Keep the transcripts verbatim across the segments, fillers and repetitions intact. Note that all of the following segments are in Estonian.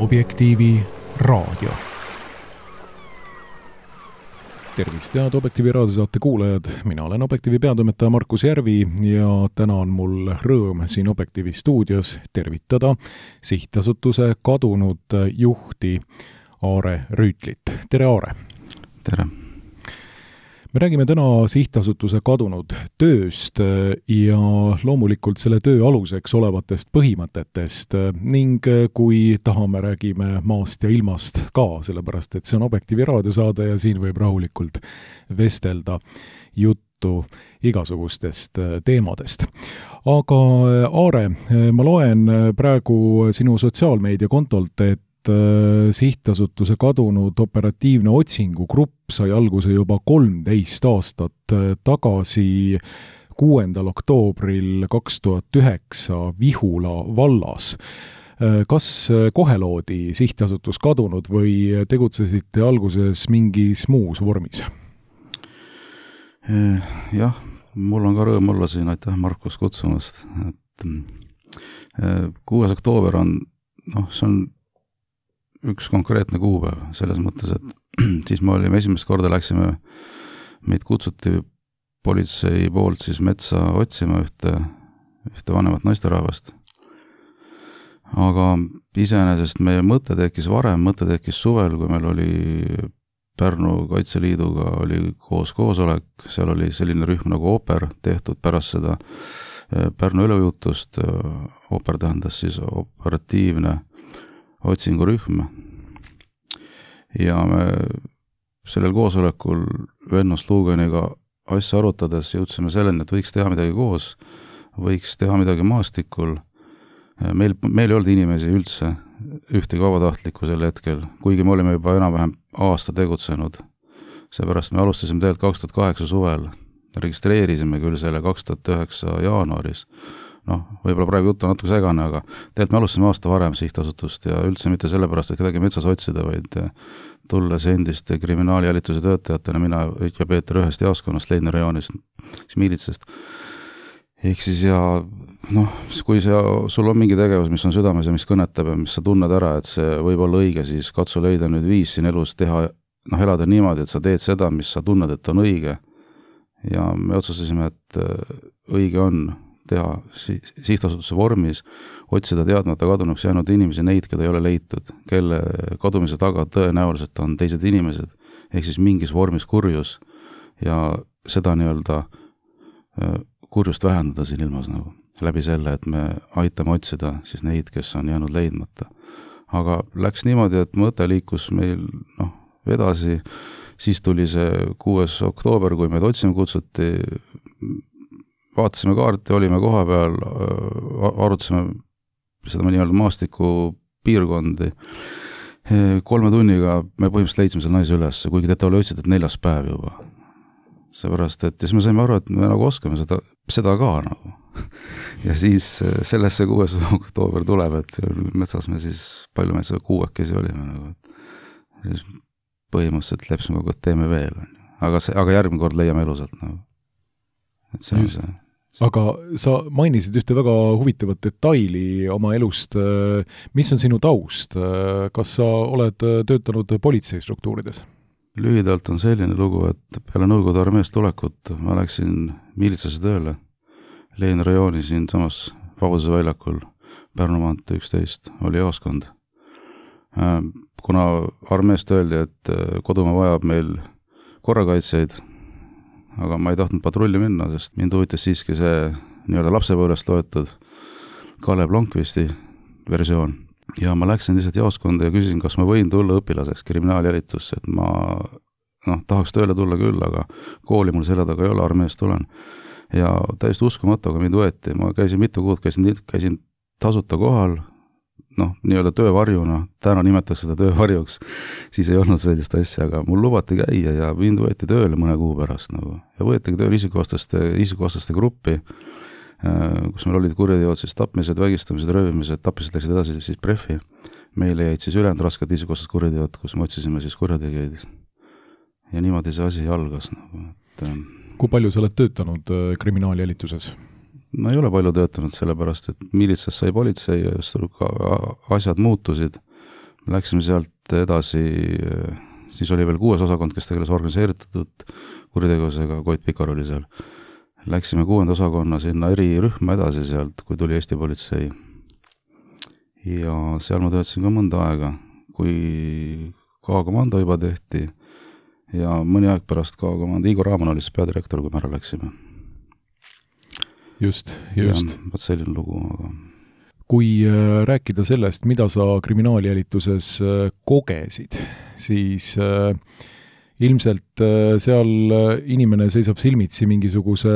Objektiivi raadio. Tervist, head Objektiivi raadiosaate kuulajad. Mina olen Objektiivi peatoimetaja Markus Järvi ja täna on mul rõõm siin Objektiivi stuudios tervitada sihtasutuse kadunud juhti Aare Rüütlit. Tere, Aare! Tere! Me räägime täna sihtasutuse kadunud tööst ja loomulikult selle töö aluseks olevatest põhimõtetest ning kui tahame, räägime maast ja ilmast ka, sellepärast et see on Objektiivi raadiosaade ja siin võib rahulikult vestelda juttu igasugustest teemadest. Aga Aare, ma loen praegu sinu sotsiaalmeedia kontolt, et sihtasutuse kadunud operatiivne otsingugrupp sai alguse juba kolmteist aastat tagasi kuuendal oktoobril kaks tuhat üheksa Vihula vallas. Kas kohe loodi sihtasutus kadunud või tegutsesite alguses mingis muus vormis? Jah, mul on ka rõõm olla siin, aitäh Markus kutsumast. Et kuues oktoober on, noh, see on üks konkreetne kuupäev, selles mõttes, et siis me olime esimest korda läksime, meid kutsuti politsei poolt siis metsa otsima ühte, ühte vanemat naisterahvast. Aga iseenesest meie mõte tekkis varem, mõte tekkis suvel, kui meil oli Pärnu Kaitseliiduga oli koos koosolek, seal oli selline rühm nagu Oper tehtud pärast seda Pärnu ülejutust. Oper tähendas siis operatiivne otsingurühm ja me sellel koosolekul Vennust Luuganiga asja arutades jõudsime selleni, et võiks teha midagi koos, võiks teha midagi maastikul. Meil, meil ei olnud inimesi üldse ühtegi vabatahtlikku sel hetkel, kuigi me olime juba enam-vähem aasta tegutsenud. Seepärast me alustasime tegelikult kaks tuhat kaheksa suvel, registreerisime küll selle kaks tuhat üheksa jaanuaris. Noh, võib-olla praegu jutt on natuke segane, aga tegelikult me alustasime aasta varem sihtasutust ja üldse mitte sellepärast, et kedagi metsas otsida, vaid tulles endiste kriminaaljälituse töötajatena, mina ja Peeter ühest jaaskonnast, Leidna rajoonist, siis miilitsest. Ehk siis ja, noh, kui see, sul on mingi tegevus, mis on südames ja mis kõnetab ja mis sa tunned ära, et see võib olla õige, siis katsu leida nüüd viis siin elus teha, noh, elada niimoodi, et sa teed seda, mis sa tunned, et on õige. Ja me otsustasime, et õige on teha sihtasutuse vormis, otsida teadmata kadunuks jäänud inimesi, neid, keda ei ole leitud, kelle kadumise taga tõenäoliselt on teised inimesed, ehk siis mingis vormis kurjus ja seda nii-öelda kurjust vähendada siin ilmas nagu, läbi selle, et me aitame otsida siis neid, kes on jäänud leidmata. Aga läks niimoodi, et mõte liikus meil noh, edasi, siis tuli see kuues oktoober, kui meid otsima kutsuti, vaatasime kaarti, olime koha peal, arutasime seda nii-öelda maastiku piirkondi. Kolme tunniga me põhimõtteliselt leidsime selle naise üles, kuigi teda oli otsitud neljas päev juba. Seepärast, et siis me saime aru, et me nagu oskame seda, seda ka nagu. Ja siis sellesse kuues oktoober tuleb, et metsas me siis, palju me seda kuuekesi olime. Nagu. Siis põhimõtteliselt lepsime kogu, et teeme veel. Aga, see, aga järgmine kord leiame elusalt. Nagu. Et see Just. On see. Aga sa mainisid ühte väga huvitavat detaili oma elust. Mis on sinu taust? Kas sa oled töötanud politseistruktuurides? Lühidalt on selline lugu, et peale Nõukogude armeest tulekut ma läksin miilitsase tööle Leidna rajooni siin samas Vabaduse väljakul Pärnu maantee üksteist oli jaaskond. Kuna armeest öeldi, et kodumaa vajab meil korrakaitseid, aga ma ei tahtnud patrulli minna, sest mind huvitas siiski see nii-öelda lapsepõlvest loetud Kalev Blomqvisti versioon. Ja ma läksin lihtsalt jaoskonda ja küsisin, kas ma võin tulla õpilaseks kriminaaljälitusse, et ma noh, tahaks tööle tulla küll, aga kooli mul selle taga ei ole, armeest tulen. Ja täiesti uskumatu, aga mind võeti. Ma käisin mitu kuud, käisin, käisin tasuta kohal, noh, nii-öelda töövarjuna, täna nimetaks seda töövarjuks, siis ei olnud sellist asja, aga mul lubati käia ja mind võeti tööle mõne kuu pärast nagu. Ja võetigi tööle isikuvastaste, isikuvastaste gruppi, kus meil olid kurjateod, siis tapmised, vägistamised, röövimised, tapmised läksid edasi siis prefi. Meile jäid siis ülejäänud rasked isikuvastased kurjateod, kus me otsisime siis kurjategijaid. Ja niimoodi see asi algas nagu. Et, kui palju sa oled töötanud kriminaaljälituses? No ei ole palju töötanud sellepärast, et miilitsas sai politsei ja asjad muutusid. läksime sealt edasi, siis oli veel kuues osakond, kes tegeles organiseeritud kuritegevusega, Koit Pikar oli seal. Läksime kuuenda osakonna sinna erirühma edasi sealt, kui tuli Eesti politsei. Ja seal ma töötasin ka mõnda aega, kui K-komando juba tehti ja mõni aeg pärast K-komando Igor Raaman oli siis peadirektor, kui me ära läksime. Just, just. Ja, võt selline lugu, aga... Kui rääkida sellest, mida sa kriminaaljälituses kogesid, siis ilmselt seal inimene seisab silmitsi mingisuguse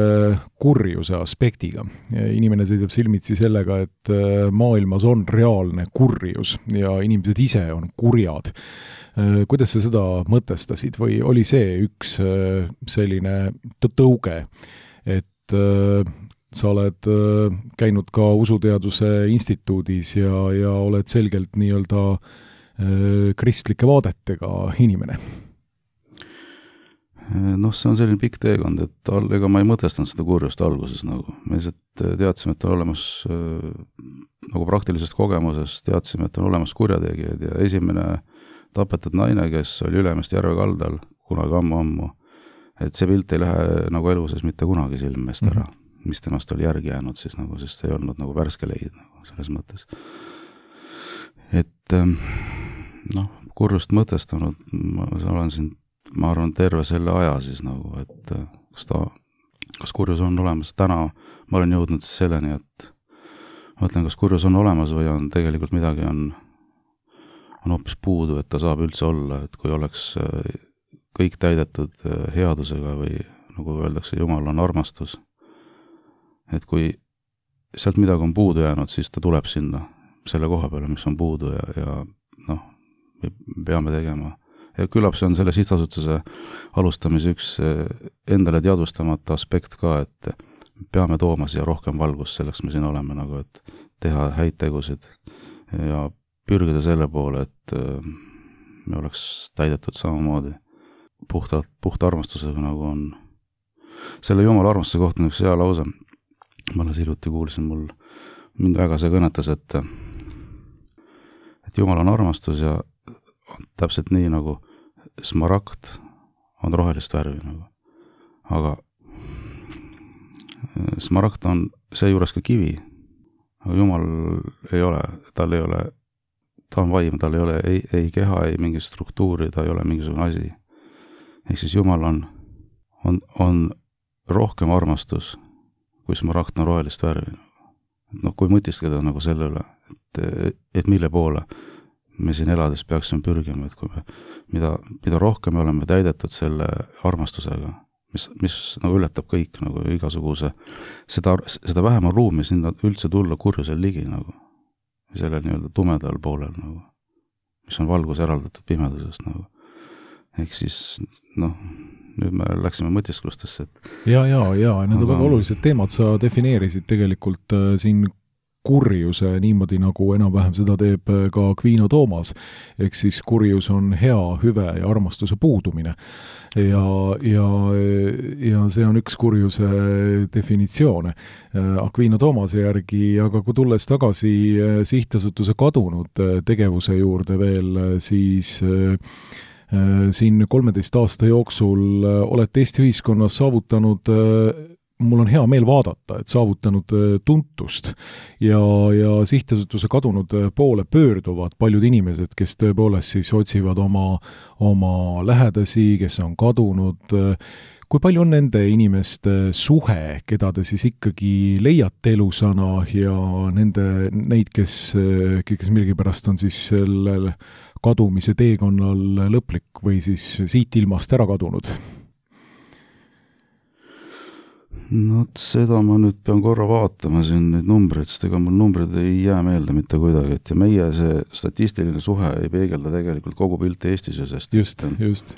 kurjuse aspektiga. Inimene seisab silmitsi sellega, et maailmas on reaalne kurjus ja inimesed ise on kurjad. Kuidas sa seda mõtestasid või oli see üks selline tõuge, et sa oled käinud ka usuteaduse instituudis ja, ja oled selgelt nii-öelda kristlike vaadetega inimene? Noh, see on selline pikk teekond, et ega ma ei mõtestanud seda kurjust alguses nagu. Me lihtsalt teadsime, et on olemas nagu praktilisest kogemusest, teadsime, et on olemas kurjategijad ja esimene tapetud naine, kes oli Ülemiste järve kaldal kunagi ammu-ammu, et see pilt ei lähe nagu elu sees mitte kunagi silmest ära. Mm-hmm. Mis temast oli järgi jäänud siis nagu, sest ei olnud nagu värske leid nagu selles mõttes. Et noh, kurjust mõtestanud, ma olen siin, ma arvan, terve selle aja siis nagu, et kas ta, kas kurjus on olemas. Täna ma olen jõudnud selleni, et mõtlen, kas kurjus on olemas või on tegelikult midagi on, on hoopis puudu, et ta saab üldse olla, et kui oleks kõik täidetud headusega või nagu öeldakse, Jumal on armastus. Et kui sealt midagi on puudu jäänud, siis ta tuleb sinna selle koha peale, mis on puudu ja, ja noh, me peame tegema. Ja küllap see on selle sihtasutuse alustamise üks endale teadvustamata aspekt ka, et peame tooma siia rohkem valgust, selleks me siin oleme nagu, et teha häid tegusid ja pürgida selle poole, et me oleks täidetud samamoodi puhtalt, puht armastusega nagu on. Selle Jumala armastuse kohta on üks hea lause. Ma alles hiljuti kuulsin, mul mind väga see kõnetas, et, et Jumal on armastus ja on täpselt nii nagu smaragd on rohelist värvi. Nagu. Aga smaragd on seejuures ka kivi, aga Jumal ei ole, tal ei ole, ta on vaim, tal ei ole ei, ei keha, ei mingi struktuuri, ta ei ole mingisugune asi. Ehk siis Jumal on, on, on rohkem armastus, kui smaragd on rohelist värvi. No, kui mõtistada nagu selle üle, et, et mille poole me siin elades peaksime pürgima, et kui me, mida, mida rohkem me oleme täidetud selle armastusega, mis, mis nagu ületab kõik nagu igasuguse, seda, seda vähem on ruumi sinna üldse tulla kurjusel ligi nagu, sellel nii-öelda tumedal poolel nagu, mis on valgus eraldatud pimedusest nagu. Ehk siis, noh, nüüd me läksime mõtisklustesse. Et... Ja, ja, ja, need on aga... väga olulised teemad, sa defineerisid tegelikult äh, siin kurjuse niimoodi, nagu enam-vähem seda teeb ka Kviino Toomas. Ehk siis kurjus on hea, hüve ja armastuse puudumine. Ja, ja, ja see on üks kurjuse definitsioone Kviino Toomase järgi, aga kui tulles tagasi sihtasutuse kadunud tegevuse juurde veel, siis siin kolmeteist aasta jooksul olete Eesti ühiskonnas saavutanud, mul on hea meel vaadata, et saavutanud tuntust ja, ja sihtasutuse kadunud poole pöörduvad paljud inimesed, kes tõepoolest siis otsivad oma, oma lähedasi, kes on kadunud. Kui palju on nende inimeste suhe, keda te siis ikkagi leiate elusana ja nende, neid, kes, kes millegipärast on siis sellel kadumise teekonnal lõplik või siis siit ilmast ära kadunud? No seda ma nüüd pean korra vaatama siin neid numbreid, sest ega mul numbrid ei jää meelde mitte kuidagi, et ja meie see statistiline suhe ei peegelda tegelikult kogu pilti Eestis ja sest. Just, et, just.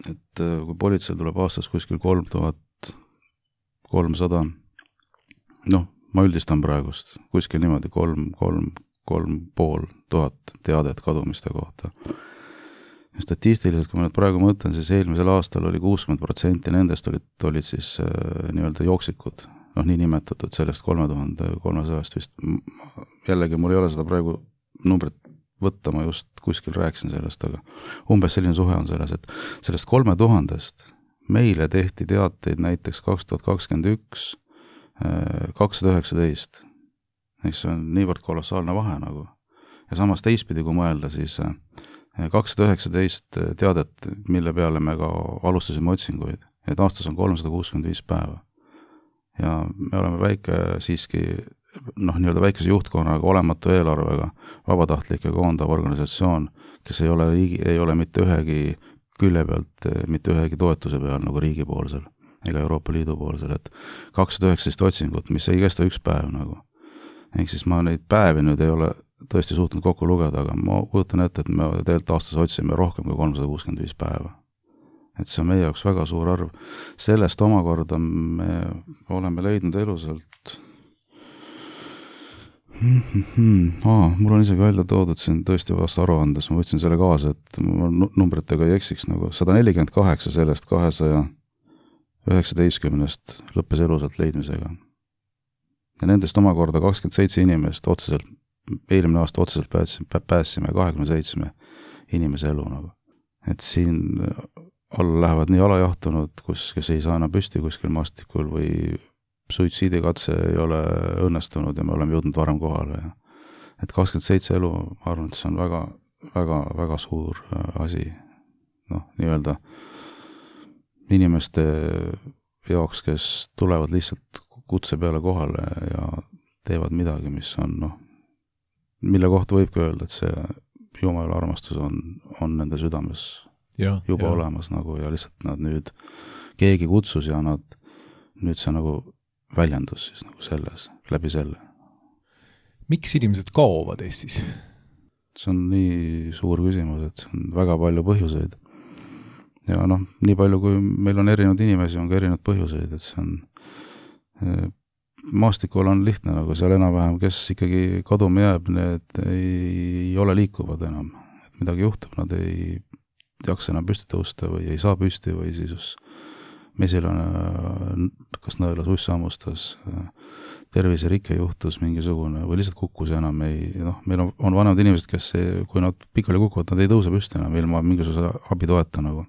Et kui politsei tuleb aastas kuskil kolm tuhat kolmsada, noh, ma üldistan praegust, kuskil niimoodi kolm, kolm, kolm pool tuhat teadet kadumiste kohta. Statistiliselt, kui ma nüüd praegu mõtlen, siis eelmisel aastal oli kuuskümmend protsenti nendest olid, olid siis äh, nii-öelda jooksikud, noh, nii nimetatud sellest kolme tuhande kolmesajast vist. Jällegi, mul ei ole seda praegu numbrit võtta, ma just kuskil rääkisin sellest, aga umbes selline suhe on selles, et sellest kolme tuhandest meile tehti teateid näiteks kaks tuhat kakskümmend üks kakssada üheksateist. Eks see on niivõrd kolossaalne vahe nagu. Ja samas teistpidi, kui mõelda, siis kakssada üheksateist teadet, mille peale me ka alustasime otsinguid, et aastas on kolmsada kuuskümmend viis päeva. Ja me oleme väike siiski, noh, nii-öelda väikese juhtkonnaga, olematu eelarvega, vabatahtlike koondav organisatsioon, kes ei ole, riigi, ei ole mitte ühegi külje pealt, mitte ühegi toetuse peal nagu riigipoolsel ega Euroopa Liidu poolsel, et kakssada üheksateist otsingut, mis ei kesta üks päev nagu. Ehk siis ma neid päevi nüüd ei ole tõesti suutnud kokku lugeda, aga ma kujutan ette, et me tegelikult aastas otsime rohkem kui kolmsada kuuskümmend viis päeva. Et see on meie jaoks väga suur arv. Sellest omakorda me oleme leidnud elusalt Aa, mul on isegi välja toodud siin tõesti vast aruandes, ma võtsin selle kaasa, et ma numbritega ei eksiks nagu sada nelikümmend kaheksa sellest kahesaja üheksateistkümnest lõppes elusalt leidmisega. Ja nendest omakorda kakskümmend seitse inimest otseselt, eelmine aasta otseselt pääsime, pääsime kahekümne seitsme inimese elu nagu. Et siin alla lähevad nii alajahtunud, kus, kes ei saa enam püsti kuskil maastikul või suitsiidikatse ei ole õnnestunud ja me oleme jõudnud varem kohale. Ja et kakskümmend seitse elu, ma arvan, et see on väga, väga, väga suur asi. Noh, nii-öelda inimeste jaoks, kes tulevad lihtsalt kutse peale kohale ja teevad midagi, mis on, noh, mille kohta võibki öelda, et see Jumala armastus on, on nende südames ja, juba ja. Olemas nagu ja lihtsalt nad nüüd, keegi kutsus ja nad nüüd see nagu väljendus siis nagu selles, läbi selle. Miks inimesed kaovad Eestis? See on nii suur küsimus, et see on väga palju põhjuseid. Ja noh, nii palju kui meil on erinevad inimesi, on ka erinevad põhjuseid, et see on maastikul on lihtne, nagu seal enam-vähem, kes ikkagi kaduma jääb, need ei ole liikuvad enam. Et midagi juhtub, nad ei jaksa enam püsti tõusta või ei saa püsti või siis mesil on kas nõelas ussammustas, terviserike juhtus mingisugune või lihtsalt kukkus ja enam ei, noh, meil on, on vanemad inimesed, kes ei, kui nad pikali kukuvad, nad ei tõuse püsti enam ilma mingisuguse abitoeta nagu.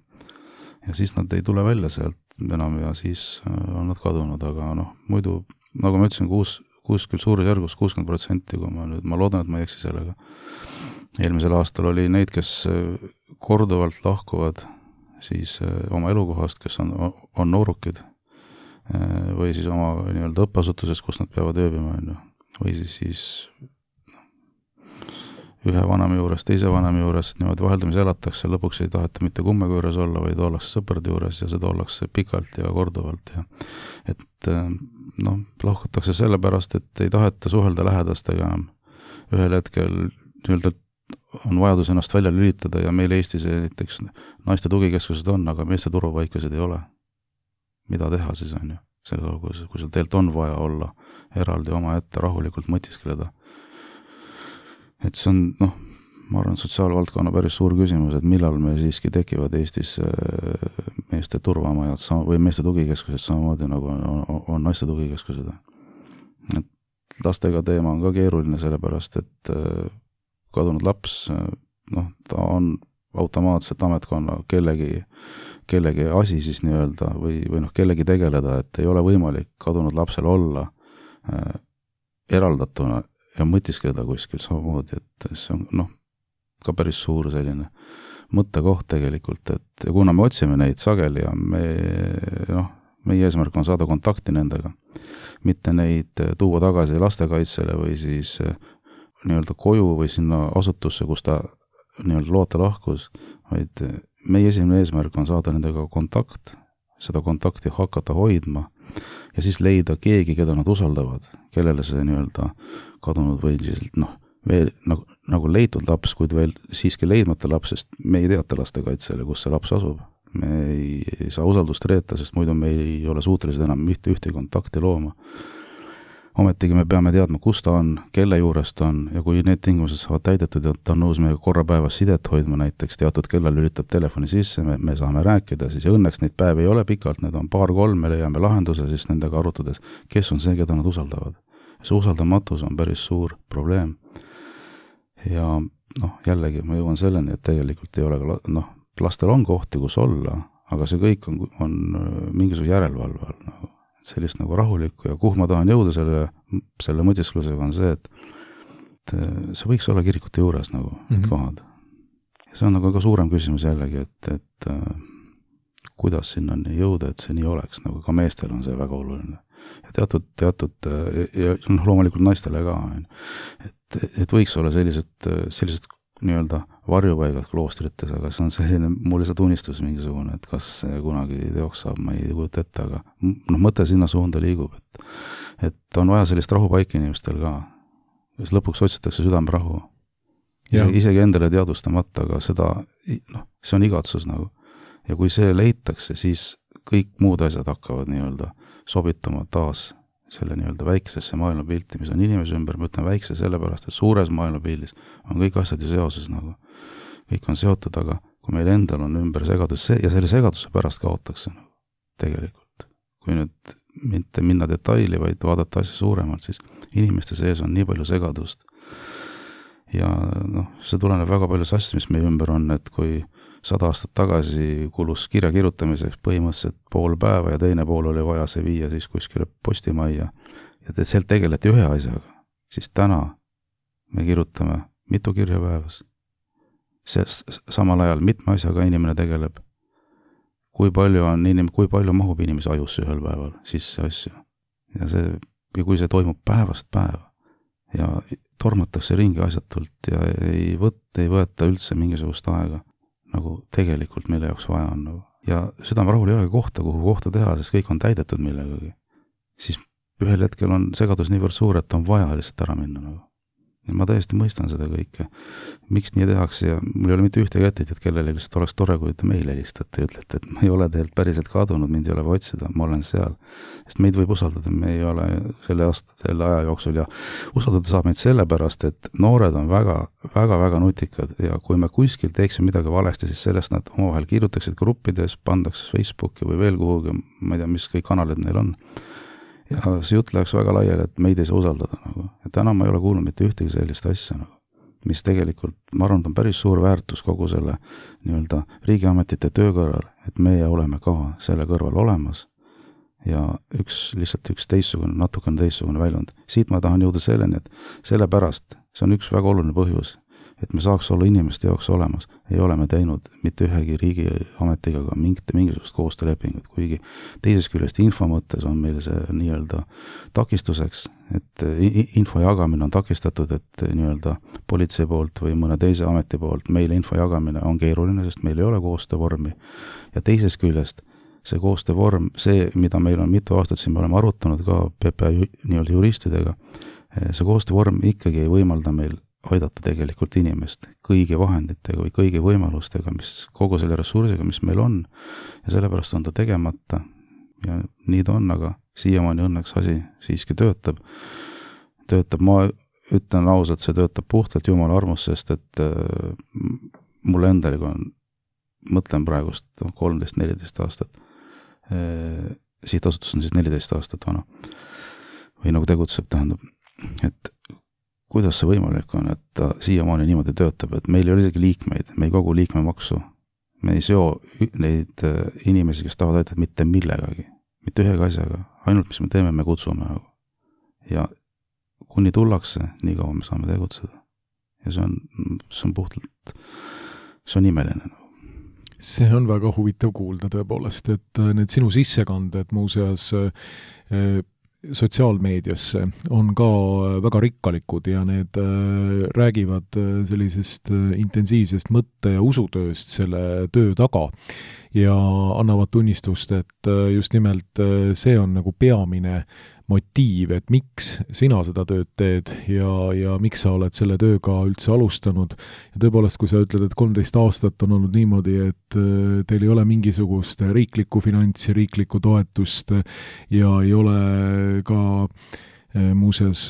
Ja siis nad ei tule välja sealt enam ja siis on nad kadunud, aga noh, muidu, nagu ma ütlesin, kuus, kuuskümmend suurusjärgus kuuskümmend protsenti, kui ma nüüd, ma loodan, et ma ei eksi sellega. Eelmisel aastal oli neid, kes korduvalt lahkuvad siis oma elukohast, kes on, on noorukid või siis oma nii-öelda õppeasutuses, kus nad peavad ööbima, või siis, siis ühe vanema juures, teise vanema juures, niimoodi vaheldamise elatakse, lõpuks ei taheta mitte kummega juures olla, vaid ollakse sõprade juures ja seda ollakse pikalt ja korduvalt. Ja et noh, lahkutakse sellepärast, et ei taheta suhelda lähedastega enam. Ühel hetkel nii-öelda on vajadus ennast välja lülitada ja meil Eestis näiteks naiste tugikeskused on, aga meeste turvapaikasid ei ole. Mida teha siis on ju? Selle, kui, kui seal teelt on vaja olla eraldi oma ette rahulikult mõtiskeleda. Et see on, noh, ma arvan, sotsiaalvaldkonna päris suur küsimus, et millal me siiski tekivad Eestis meeste turvamajad või meeste tugikeskused samamoodi nagu on, on, on naiste tugikeskused. Et lastega teema on ka keeruline sellepärast, et kadunud laps, noh, ta on automaatselt ametkonna kellegi, kellegi asi siis nii-öelda või, või noh, kellegi tegeleda, et ei ole võimalik kadunud lapsel olla äh, eraldatuna ja mõtiskeleda kuskil samamoodi, et see on noh, ka päris suur selline mõttekoht tegelikult, et kuna me otsime neid sageli ja me, noh, meie eesmärk on saada kontakti nendega, mitte neid tuua tagasi lastekaitsele või siis nii-öelda koju või sinna asutusse, kus ta nii-öelda loota lahkus, vaid meie esimene eesmärk on saada nendega kontakt, seda kontakti hakata hoidma ja siis leida keegi, keda nad usaldavad, kellele see nii-öelda kadunud või noh, veel nagu, nagu leitud laps, kuid veel siiski leidmata laps, sest me ei teata lastekaitsele, kus see laps asub. Me ei, ei saa usaldust reeta, sest muidu me ei ole suutelised enam mitte ühte kontakti looma. Ometigi me peame teadma, kus ta on, kelle juures ta on ja kui need tingimused saavad täidetud ja ta on nõus meiega korra päevas sidet hoidma näiteks, teatud kellal lülitab telefoni sisse, me, me saame rääkida, siis ja õnneks neid päevi ei ole pikalt, need on paar-kolm, me leiame lahenduse siis nendega arutades, kes on see, keda nad usaldavad. See usaldamatus on päris suur probleem. Ja noh, jällegi ma jõuan selleni, et tegelikult ei ole ka, noh, lastel on kohti, kus olla, aga see kõik on, on mingisuguse järelevalve all, nagu, sellist nagu rahulikku ja kuhu ma tahan jõuda selle, selle mõtisklusega on see, et, et see võiks olla kirikute juures nagu mm-hmm. need kohad. See on nagu ka suurem küsimus jällegi, et, et kuidas sinna jõuda, et see nii oleks, nagu ka meestel on see väga oluline. Ja teatud, teatud, ja noh, loomulikult naistele ka, et, et võiks olla sellised, sellised nii-öelda varjupaigad kloostrites, aga see on selline, mul lihtsalt unistus mingisugune, et kas see kunagi teoks saab, ma ei kujuta ette, aga noh, mõte sinna suunda liigub, et, et on vaja sellist rahupaiki inimestel ka, kes lõpuks otsitakse südamerahu. Isegi, isegi endale teadustamata, aga seda, noh, see on igatsus nagu. Ja kui see leitakse, siis kõik muud asjad hakkavad nii-öelda sobituma taas selle nii-öelda väiksesse maailmapilti, mis on inimese ümber, ma ütlen väikse sellepärast, et suures maailmapildis on kõik asjad ju seoses nagu. Kõik on seotud, aga kui meil endal on ümber segadus see, ja selle segaduse pärast kaotakse nagu, tegelikult. Kui nüüd mitte minna detaili, vaid vaadata asja suuremalt, siis inimeste sees on nii palju segadust. Ja noh, see tuleneb väga paljus asjast, mis meie ümber on, et kui sada aastat tagasi kulus kirja kirjutamiseks põhimõtteliselt pool päeva ja teine pool oli vaja see viia siis kuskile postimajja ja te sealt tegeleti ühe asjaga, siis täna me kirjutame mitu kirja päevas. See samal ajal mitme asjaga inimene tegeleb. Kui palju on inim-, kui palju mahub inimese ajusse ühel päeval sisse asju. Ja see, ja kui see toimub päevast päeva ja tormatakse ringi asjatult ja ei võtta, ei võeta üldse mingisugust aega, nagu tegelikult mille jaoks vaja on. Nagu. Ja südamerahul ei ole kohta, kuhu kohta teha, sest kõik on täidetud millegagi. Siis ühel hetkel on segadus niivõrd suur, et on vaja lihtsalt ära minna. Nagu. Ja ma täiesti mõistan seda kõike. Miks nii tehakse ja mul ei ole mitte ühtegi etteit, et kellele lihtsalt oleks tore, kui te meile helistate ja ütlete, et ma ei ole teilt päriselt kadunud, mind ei ole otsida, ma olen seal. Sest meid võib usaldada, me ei ole selle aasta, selle aja jooksul ja usaldada saab meid sellepärast, et noored on väga, väga, väga nutikad ja kui me kuskil teeksime midagi valesti, siis sellest nad omavahel kirjutaksid gruppides, pandaks Facebooki või veel kuhugi, ma ei tea, mis kõik kanalid neil on. Ja see jutt läheks väga laiali, et meid ei saa usaldada. Nagu. Ja täna ma ei ole kuulnud mitte ühtegi sellist asja, nagu, mis tegelikult, ma arvan, on päris suur väärtus kogu selle nii-öelda riigiametite töö kõrval, et meie oleme ka selle kõrval olemas ja üks, lihtsalt üks teissugune, natukene teissugune väljund. Siit ma tahan jõuda selleni, et sellepärast, see on üks väga oluline põhjus, et me saaks olla inimeste jaoks olemas, ei ole me teinud mitte ühegi riigiametiga ka mingit, mingisugust koostöölepingut, kuigi teises küljest info mõttes on meil see nii-öelda takistuseks, et info jagamine on takistatud, et nii-öelda politsei poolt või mõne teise ameti poolt meile info jagamine on keeruline, sest meil ei ole koostöövormi. Ja teises küljest see koostöövorm, see, mida meil on mitu aastat siin me oleme arutanud ka P P A nii-öelda juristidega, see koostöövorm ikkagi ei võimalda meil aidata tegelikult inimest kõigi vahenditega või kõigi võimalustega, mis kogu selle ressursiga, mis meil on ja sellepärast on ta tegemata ja nii ta on, aga siiamaani õnneks asi siiski töötab. Töötab, ma ütlen ausalt, see töötab puhtalt Jumala armust, sest et äh, mul endaliga on, mõtlen praegust kolmteist neliteist aastat, äh, sihtasutus on siis neliteist aastat vana või nagu tegutseb, tähendab, et kuidas see võimalik on, et ta siiamaani niimoodi töötab, et meil ei ole isegi liikmeid, me ei kogu liikmemaksu, me ei seo neid inimesi, kes tahavad aidata mitte millegagi, mitte ühega asjaga, ainult mis me teeme, me kutsume. Ja kuni tullakse, nii kaua me saame tegutseda. Ja see on, see on puhtalt, see on imeline. See on väga huvitav kuulda tõepoolest, et need sinu sissekanded muuseas sotsiaalmeediasse on ka väga rikkalikud ja need räägivad sellisest intensiivsest mõtte- ja usutööst selle töö taga ja annavad tunnistust, et just nimelt see on nagu peamine motiiv, et miks sina seda tööd teed ja, ja miks sa oled selle tööga üldse alustanud. Ja tõepoolest, kui sa ütled, et kolmteist aastat on olnud niimoodi, et teil ei ole mingisugust riiklikku finantsi, riiklikku toetust ja ei ole ka muuseas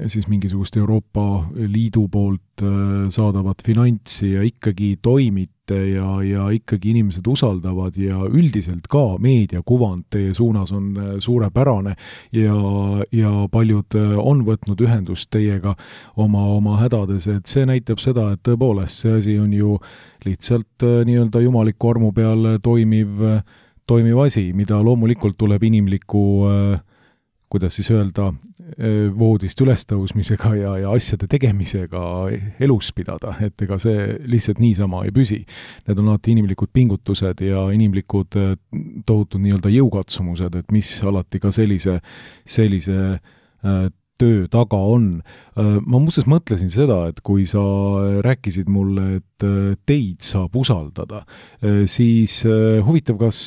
siis mingisugust Euroopa Liidu poolt saadavat finantsi ja ikkagi toimite ja, ja ikkagi inimesed usaldavad ja üldiselt ka meediakuvand teie suunas on suurepärane ja, ja paljud on võtnud ühendust teiega oma, oma hädades, et see näitab seda, et tõepoolest see asi on ju lihtsalt nii-öelda jumaliku armu peal toimiv, toimiv asi, mida loomulikult tuleb inimliku kuidas siis öelda, voodist ülestõusmisega ja, ja asjade tegemisega elus pidada, et ega see lihtsalt niisama ei püsi. Need on alati inimlikud pingutused ja inimlikud tohutud nii-öelda jõukatsumused, et mis alati ka sellise, sellise töö taga on. Ma muuseas mõtlesin seda, et kui sa rääkisid mulle, et teid saab usaldada, siis huvitav, kas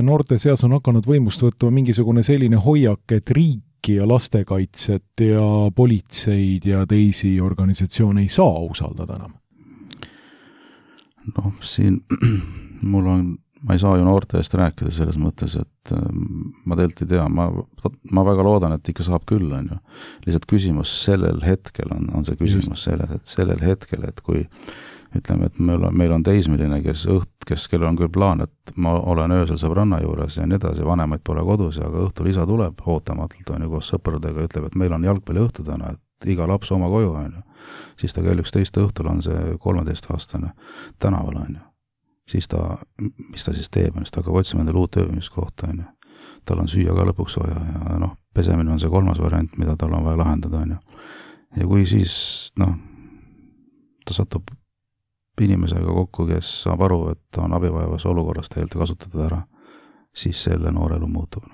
noorte seas on hakanud võimust võtma mingisugune selline hoiak, et riiki ja lastekaitset ja politseid ja teisi organisatsioone ei saa usaldada enam? Noh, siin mul on ma ei saa ju noorte eest rääkida selles mõttes, et ma tegelikult ei tea, ma, ma väga loodan, et ikka saab küll, on ju. Lihtsalt küsimus sellel hetkel on, on see küsimus Just. selles, et sellel hetkel, et kui ütleme, et meil on, meil on teismeline, kes õht, kes, kellel on küll plaan, et ma olen öösel sõbranna juures ja nii edasi, vanemaid pole kodus, aga õhtul isa tuleb ootamatult, on ju, koos sõpradega, ütleb, et meil on jalgpalli õhtu täna, et iga laps oma koju, on ju. Siis ta kell üksteist õhtul on see kolmeteistaastane tänaval, on ju. Siis ta, mis ta siis teeb, siis ta hakkab otsima endale uut ööbimiskohta, on ju. Tal on süüa ka lõpuks vaja ja noh, pesemine on see kolmas variant, mida tal on vaja lahendada, on ju. Ja kui siis, noh, ta satub inimesega kokku, kes saab aru, et ta on abivajavas olukorras tegelikult kasutada ära, siis selle noorelu muutub.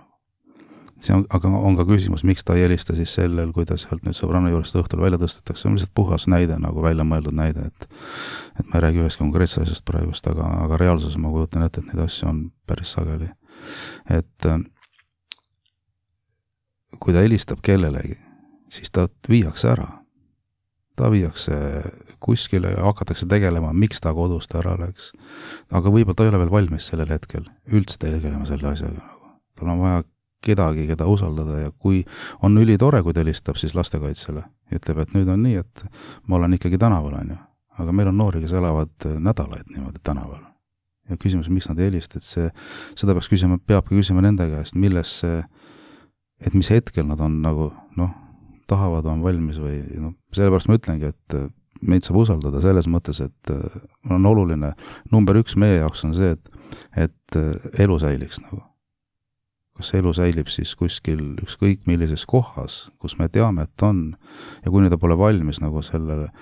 See on, aga on ka küsimus, miks ta ei helista siis sellel, kui ta sealt nüüd sõbranna juurest õhtul välja tõstetakse, see on lihtsalt puhas näide, nagu välja mõeldud näide, et, et ma ei räägi üheski konkreetse asjast praegust, aga, aga reaalsus ma kujutan ette, et neid asju on päris sageli. Et kui ta helistab kellelegi, siis ta viiakse ära. Ta viiakse kuskile ja hakatakse tegelema, miks ta kodust ära läks. Aga võib-olla ta ei ole veel valmis sellel hetkel üldse tegelema selle asjaga. Tal on vaja kedagi, keda usaldada ja kui on ülitore, kui ta helistab siis lastekaitsele ja ütleb, et nüüd on nii, et ma olen ikkagi tänaval, on ju. Aga meil on noori, kes elavad nädalaid niimoodi tänaval. Ja küsimus, miks nad ei helista, et see, seda peaks küsima, peabki küsima nende käest, milles see, et mis hetkel nad on nagu, noh, tahavad, on valmis või, noh, sellepärast ma ütlengi, et meid saab usaldada selles mõttes, et on oluline, number üks meie jaoks on see, et, et elu säiliks nagu. Kas elu säilib siis kuskil ükskõik millises kohas, kus me teame, et on, ja kuni ta pole valmis nagu selle,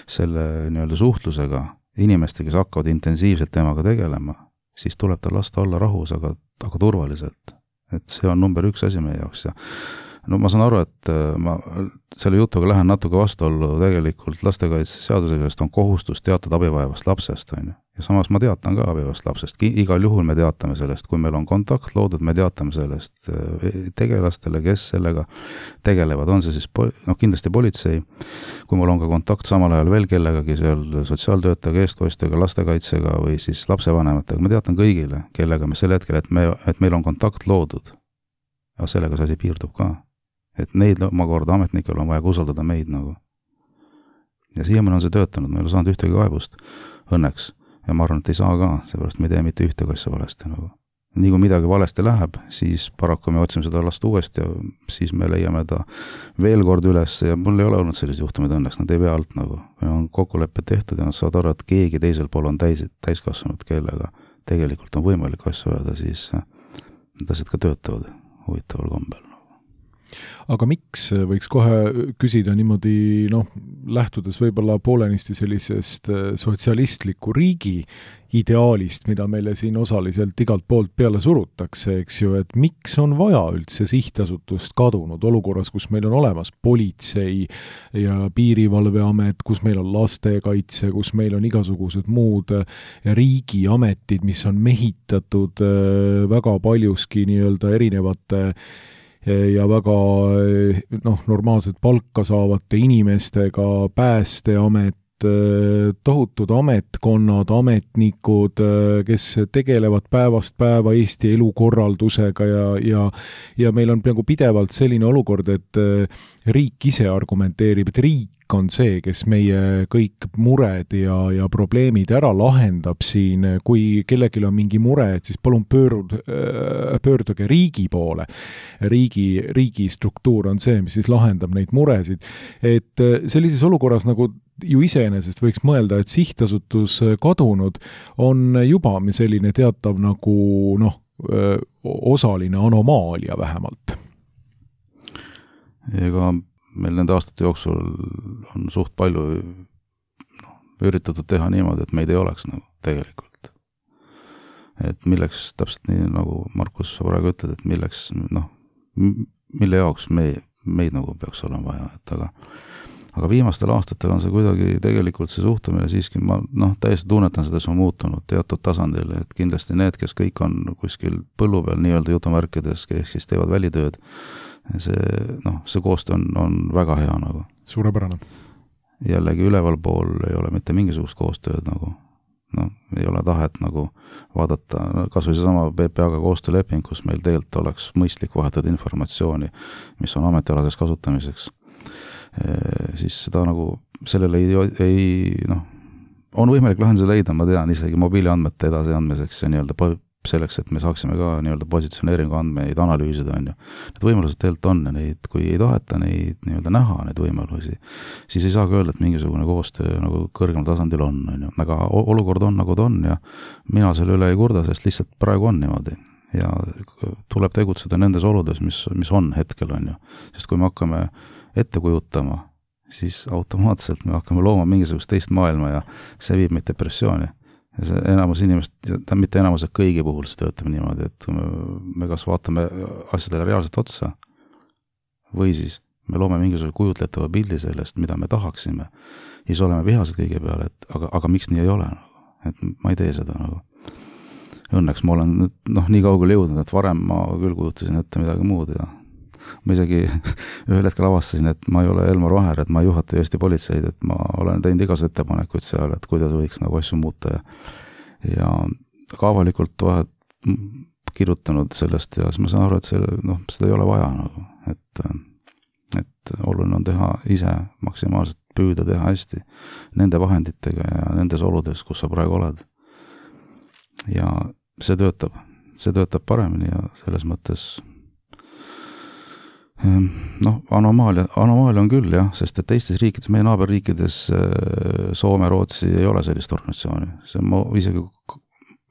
selle nii-öelda suhtlusega inimeste, kes hakkavad intensiivselt temaga tegelema, siis tuleb ta lasta olla rahus, aga, aga turvaliselt. Et see on number üks asi meie jaoks ja no ma saan aru, et ma selle jutuga lähen natuke vastuollu tegelikult lastekaitseseadusega, sest on kohustus teatada abivajavast lapsest, on ju. Ja samas ma teatan ka abivajavast lapsest. Igal juhul me teatame sellest, kui meil on kontakt loodud, me teatame sellest tegelastele, kes sellega tegelevad. On see siis, noh kindlasti politsei, kui mul on ka kontakt samal ajal veel kellegagi seal sotsiaaltöötajaga, eestkostjaga, lastekaitsega või siis lapsevanematega, ma teatan kõigile, kellega me sel hetkel, et, me, et meil on kontakt loodud. Ja sellega see asi piirdub ka. Et neid omakorda ametnikel on vaja usaldada meid nagu. Ja siiamaani on see töötanud, ma ei ole saanud ühtegi kaebust õnneks. Ja ma arvan, et ei saa ka, seepärast me ei tee mitte ühtegi asja valesti nagu. Nii kui midagi valesti läheb, siis paraku me otsime seda last uuesti ja siis me leiame ta veel kord üles ja mul ei ole olnud sellised juhtumid õnneks, nad ei vea alt nagu. Me on kokkulepped tehtud ja nad saavad aru, et keegi teisel pool on täis, täiskasvanud, kellega tegelikult on võimalik asju öelda, siis need asjad ka töötavad huvitaval kombel. Aga miks võiks kohe küsida niimoodi, noh, lähtudes võib-olla poolenisti sellisest sotsialistliku riigi ideaalist, mida meile siin osaliselt igalt poolt peale surutakse, eks ju, et miks on vaja üldse sihtasutust kadunud olukorras, kus meil on olemas politsei ja piirivalveamet, kus meil on lastekaitse, kus meil on igasugused muud riigiametid, mis on mehitatud väga paljuski nii-öelda erinevate ja väga noh, normaalselt palka saavate inimestega, päästeamet, tohutud ametkonnad, ametnikud, kes tegelevad päevast päeva Eesti elukorraldusega ja, ja, ja meil on peaaegu pidevalt selline olukord, et riik ise argumenteerib, et riik on see, kes meie kõik mured ja, ja probleemid ära lahendab siin. Kui kellelgi on mingi mure, et siis palun pöörud, pöörduge riigi poole. Riigi, riigi struktuur on see, mis siis lahendab neid muresid. Et sellises olukorras nagu ju iseenesest võiks mõelda, et sihtasutus kadunud on juba selline teatav nagu noh, osaline anomaalia vähemalt. Ega meil nende aastate jooksul on suht palju no, üritatud teha niimoodi, et meid ei oleks nagu tegelikult. Et milleks, täpselt nii nagu Markus praegu ütled, et milleks, noh, mille jaoks me, meid nagu peaks olema vaja, et aga aga viimastel aastatel on see kuidagi tegelikult see suhtumine siiski, ma noh, täiesti tunnetan seda, see on muutunud teatud tasandil, et kindlasti need, kes kõik on kuskil põllu peal nii-öelda jutumärkides, kes siis teevad välitööd, see, noh, see koostöö on, on väga hea nagu. Suurepärane. Jällegi üleval pool ei ole mitte mingisugust koostööd nagu, noh, ei ole tahet nagu vaadata, no, kas või see sama P P A-ga koostööleping, kus meil tegelikult oleks mõistlik vahetada informatsiooni, mis on ametialases kasutamiseks. E, siis seda nagu, sellele ei, ei noh, on võimalik lahenduse leida, ma tean, isegi mobiiliandmete edasi andmiseks ja nii-öelda selleks, et me saaksime ka nii-öelda positsioneeringu andmeid analüüsida, on ju. Need võimalused tegelikult on ja neid, kui ei taheta neid nii-öelda näha, neid võimalusi, siis ei saa ka öelda, et mingisugune koostöö nagu kõrgemal tasandil on, on ju. Aga olukord on nagu ta on ja mina selle üle ei kurda, sest lihtsalt praegu on niimoodi. Ja tuleb tegutseda nendes oludes, mis, mis on hetkel, on ju. Sest kui me hakkame ette kujutama, siis automaatselt me hakkame looma mingisugust teist maailma ja see viib meid depressiooni. Ja see enamus inimest, ta mitte enamus, et kõigi puhul see töötab niimoodi, et me, me kas vaatame asjadele reaalselt otsa või siis me loome mingisuguse kujutletava pildi sellest, mida me tahaksime ja siis oleme vihased kõige peale, et aga, aga miks nii ei ole? Et ma ei tee seda nagu. Õnneks ma olen noh, nii kaugele jõudnud, et varem ma küll kujutasin ette midagi muud ja ma isegi ühel hetkel avastasin, et ma ei ole Elmar Vaher, et ma ei juhata Eesti politseid, et ma olen teinud igas ettepanekuid seal, et kuidas võiks nagu asju muuta ja, ja ka avalikult vahet kirjutanud sellest ja siis ma saan aru, et see, noh, seda ei ole vaja nagu, et, et oluline on teha ise maksimaalselt püüda teha hästi nende vahenditega ja nendes oludes, kus sa praegu oled. Ja see töötab, see töötab paremini ja selles mõttes noh, anomaalia, anomaalia on küll jah, sest et teistes riikides, meie naaberriikides Soome, Rootsi ei ole sellist organisatsiooni. See ma isegi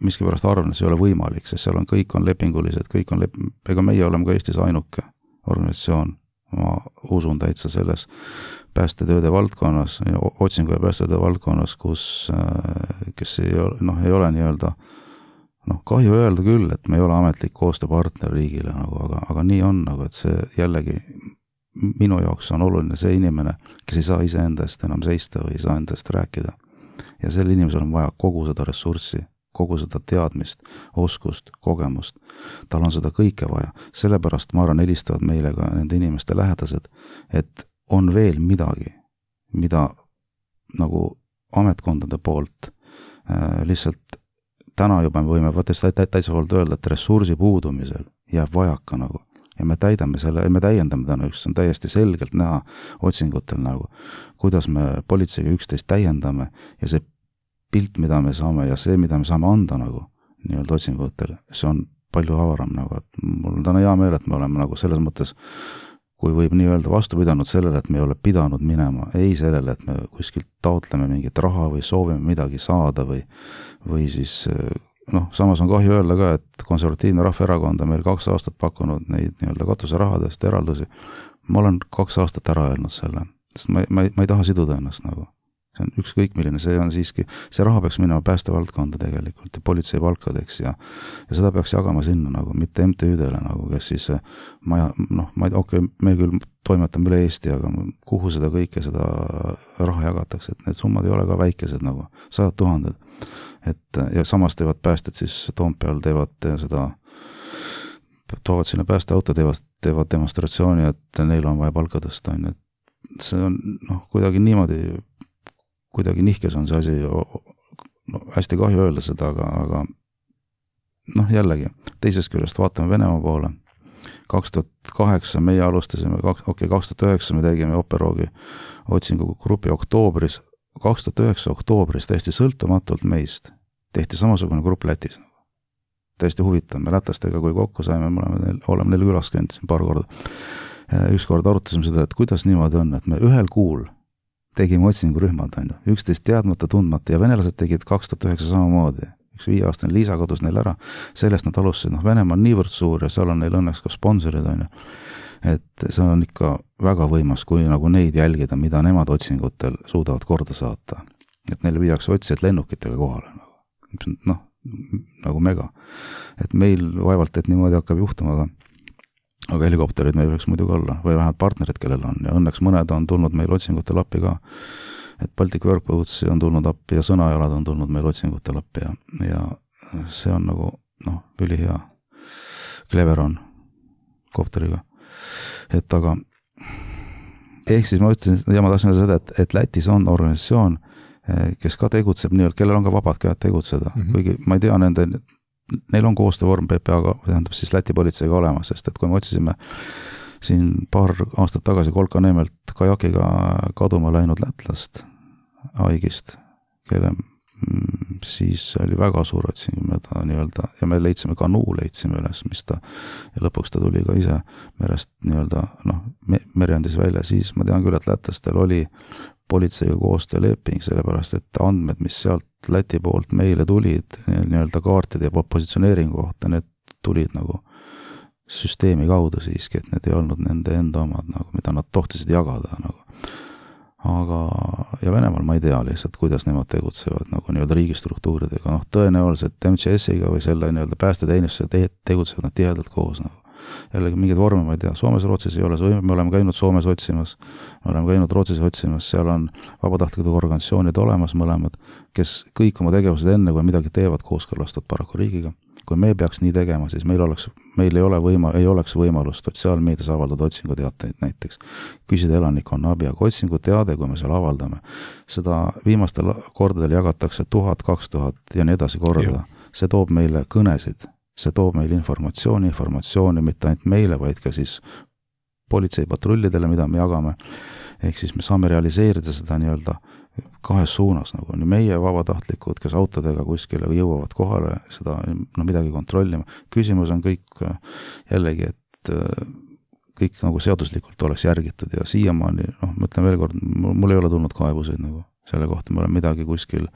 miskipärast arvan, et see ei ole võimalik, sest seal on kõik on lepingulised, kõik on lep-, ega meie oleme ka Eestis ainuke organisatsioon, ma usun täitsa selles päästetööde valdkonnas, otsingu ja päästetööde valdkonnas, kus, kes ei ole, noh, ei ole nii-öelda noh, kahju öelda küll, et me ei ole ametlik koostööpartner riigile, nagu, aga, aga nii on, nagu, et see jällegi minu jaoks on oluline see inimene, kes ei saa ise endast enam seista või ei saa endast rääkida. Ja sel inimesel on vaja kogu seda ressurssi, kogu seda teadmist, oskust, kogemust. Tal on seda kõike vaja. Sellepärast ma arvan, helistavad meile ka nende inimeste lähedased, et on veel midagi, mida nagu ametkondade poolt äh, lihtsalt täna juba me võime võttes täitsa poolt öelda, et ressursi puudumisel jääb vajaka nagu. Ja me täidame selle, me täiendame täna üks, see on täiesti selgelt näha otsingutel nagu, kuidas me politseiga üksteist täiendame ja see pilt, mida me saame ja see, mida me saame anda nagu nii-öelda otsingutel, see on palju avaram nagu, et mul on täna hea meel, et me oleme nagu selles mõttes, kui võib nii öelda vastu pidanud sellele, et me ei ole pidanud minema, ei sellele, et me kuskilt taotleme mingit raha või soovime midagi saada või, või siis, noh, samas on kahju öelda ka, et konservatiivne rahvaerakond on meil kaks aastat pakkunud neid nii-öelda katuserahadest eraldusi. Ma olen kaks aastat ära öelnud selle, sest ma, ma, ma ei taha siduda ennast nagu. See on ükskõik milline, see on siiski, see raha peaks minema päästevaldkonda tegelikult ja politsei palkadeks ja, ja seda peaks jagama sinna nagu, mitte M T Ü-dele nagu, kes siis, ma, noh, ma ei, okei, okay, me küll toimetame üle Eesti, aga kuhu seda kõike, seda raha jagatakse, et need summad ei ole ka väikesed nagu, sajad tuhanded. Et, ja samas teevad päästed siis Toompeal, teevad seda, toovad sinna päästeauto, teevad, teevad demonstratsiooni, et neil on vaja palka tõsta, on, et see on, noh, kuidagi niimoodi kuidagi nihkes on see asi, no hästi kahju öelda seda, aga, aga noh, jällegi, teisest küljest vaatame Venemaa poole, kaks tuhat kaheksa meie alustasime, okei, okay, kaks tuhat üheksa me tegime Operoogi otsingu grupi oktoobris, kaks tuhat üheksa oktoobris täiesti sõltumatult meist tehti samasugune grupp Lätis. Täiesti huvitav, me lätlastega kui kokku saime, me oleme neil, oleme neil külas käinud siin paar korda. Üks kord arutasime seda, et kuidas niimoodi on, et me ühel kuul tegime otsingurühmad, on ju, üksteist teadmata, tundmata ja venelased tegid kaks tuhat üheksa samamoodi. Üks viieaastane Liisa kadus neil ära, sellest nad alustasid, noh, Venemaa on niivõrd suur ja seal on neil õnneks ka sponsorid, on ju. Et see on ikka väga võimas, kui nagu neid jälgida, mida nemad otsingutel suudavad korda saata. Et neile viiakse otsijad lennukitega kohale, nagu, noh, nagu mega. Et meil vaevalt, et niimoodi hakkab juhtuma, aga, aga helikopterid meil võiks muidugi olla, või vähemalt partnerid, kellel on, ja õnneks mõned on tulnud meil otsingutel appi ka. Et Baltic Workboats on tulnud appi ja sõnajalad on tulnud meil otsingutel appi ja, ja see on nagu, noh, üli hea. Clever on kopteriga. Et aga, ehk siis ma ütlesin, ja ma tahtsin seda, et, et Lätis on organisatsioon, kes ka tegutseb nii-öelda, kellel on ka vabad käed tegutseda, mm-hmm. kuigi ma ei tea nende, neil on koostöövorm P P A-ga, tähendab siis Läti politseiga olemas, sest et kui me otsisime siin paar aastat tagasi Kolka Neemelt kajakiga kaduma läinud lätlast haigist, kelle siis oli väga suur otsing, ta nii-öelda, ja me leidsime kanuu, leidsime üles, mis ta, ja lõpuks ta tuli ka ise merest nii-öelda, noh, me, merjandis välja, siis ma tean küll, et lätlastel oli politseiga koostööleping, sellepärast, et andmed, mis sealt Läti poolt meile tulid, nii-öelda kaartide ja positsioneeringu kohta, need tulid nagu süsteemi kaudu siiski, et need ei olnud nende enda omad, nagu, mida nad tohtisid jagada. Nagu. Aga, ja Venemaal ma ei tea lihtsalt, kuidas nemad tegutsevad nagu nii-öelda riigistruktuuridega. No, tõenäoliselt M C S-iga või selle nii-öelda päästeteenistuse te- tegutsevad nad tihedalt koos. Nagu. Jällegi mingid vorme ma ei tea. Soomes Rootsis ei ole, me oleme käinud Soomes otsimas, me oleme käinud Rootsis otsimas, seal on vabatahtlikud organisatsioonid olemas mõlemad, kes kõik oma tegevused enne, kui midagi teevad, kooskõlastavad paraku riigiga. Kui me peaks nii tegema, siis meil oleks, meil ei ole võima, ei oleks võimalust sotsiaalmeedias avaldada otsinguteateid näiteks. Küsida elanikkonna abi, aga otsinguteade, kui me seal avaldame, seda viimastel kordadel jagatakse tuhat, kaks tuhat ja nii edasi korda. See toob meile kõnesid, see toob meile informatsiooni, informatsiooni mitte ainult meile, vaid ka siis politseipatrullidele, mida me jagame. Ehk siis me saame realiseerida seda nii-öelda kahes suunas, nagu nii meie vabatahtlikud, kes autodega kuskile jõuavad kohale, seda no, midagi kontrollima. Küsimus on kõik jällegi, et kõik nagu seaduslikult oleks järgitud ja siiamaani, noh, ma ütlen veel kord, mul ei ole tulnud kaebuseid nagu selle kohta, ma olen midagi kuskil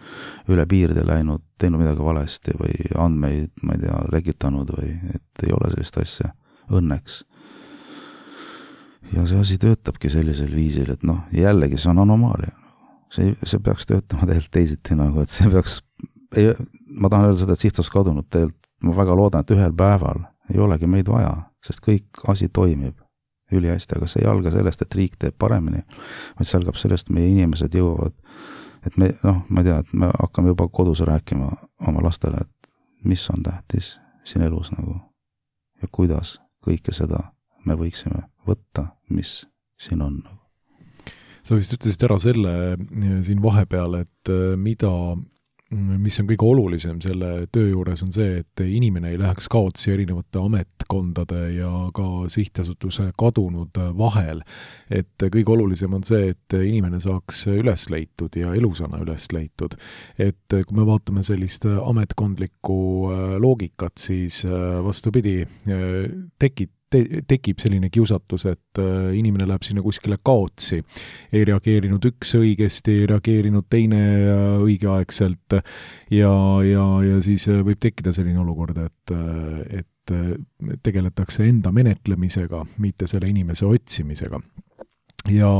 üle piirde läinud, teinud midagi valesti või andmeid, ma ei tea, legitanud või et ei ole sellist asja õnneks. Ja see asi töötabki sellisel viisil, et noh, jällegi see on anomaalia. See, see peaks töötama tegelikult teisiti nagu, et see peaks, ei, ma tahan öelda seda, et sihtsus kadunud tegelikult, ma väga loodan, et ühel päeval ei olegi meid vaja, sest kõik asi toimib üli hästi, aga see ei alga sellest, et riik teeb paremini, vaid see algab sellest, meie inimesed jõuavad, et me, noh, ma ei tea, et me hakkame juba kodus rääkima oma lastele, et mis on tähtis siin elus nagu ja kuidas kõike seda me võiksime võtta, mis siin on nagu. Sa vist ütlesid ära selle siin vahepeal, et mida, mis on kõige olulisem selle töö juures on see, et inimene ei läheks kaotsi erinevate ametkondade ja ka sihtasutuse kadunud vahel. Et kõige olulisem on see, et inimene saaks üles leitud ja elusana üles leitud. Et kui me vaatame sellist ametkondlikku loogikat, siis vastupidi tekib Te, tekib selline kiusatus, et inimene läheb sinna kuskile kaotsi. Ei reageerinud üks õigesti, ei reageerinud teine õigeaegselt ja, ja, ja siis võib tekkida selline olukord, et, et tegeletakse enda menetlemisega, mitte selle inimese otsimisega. Ja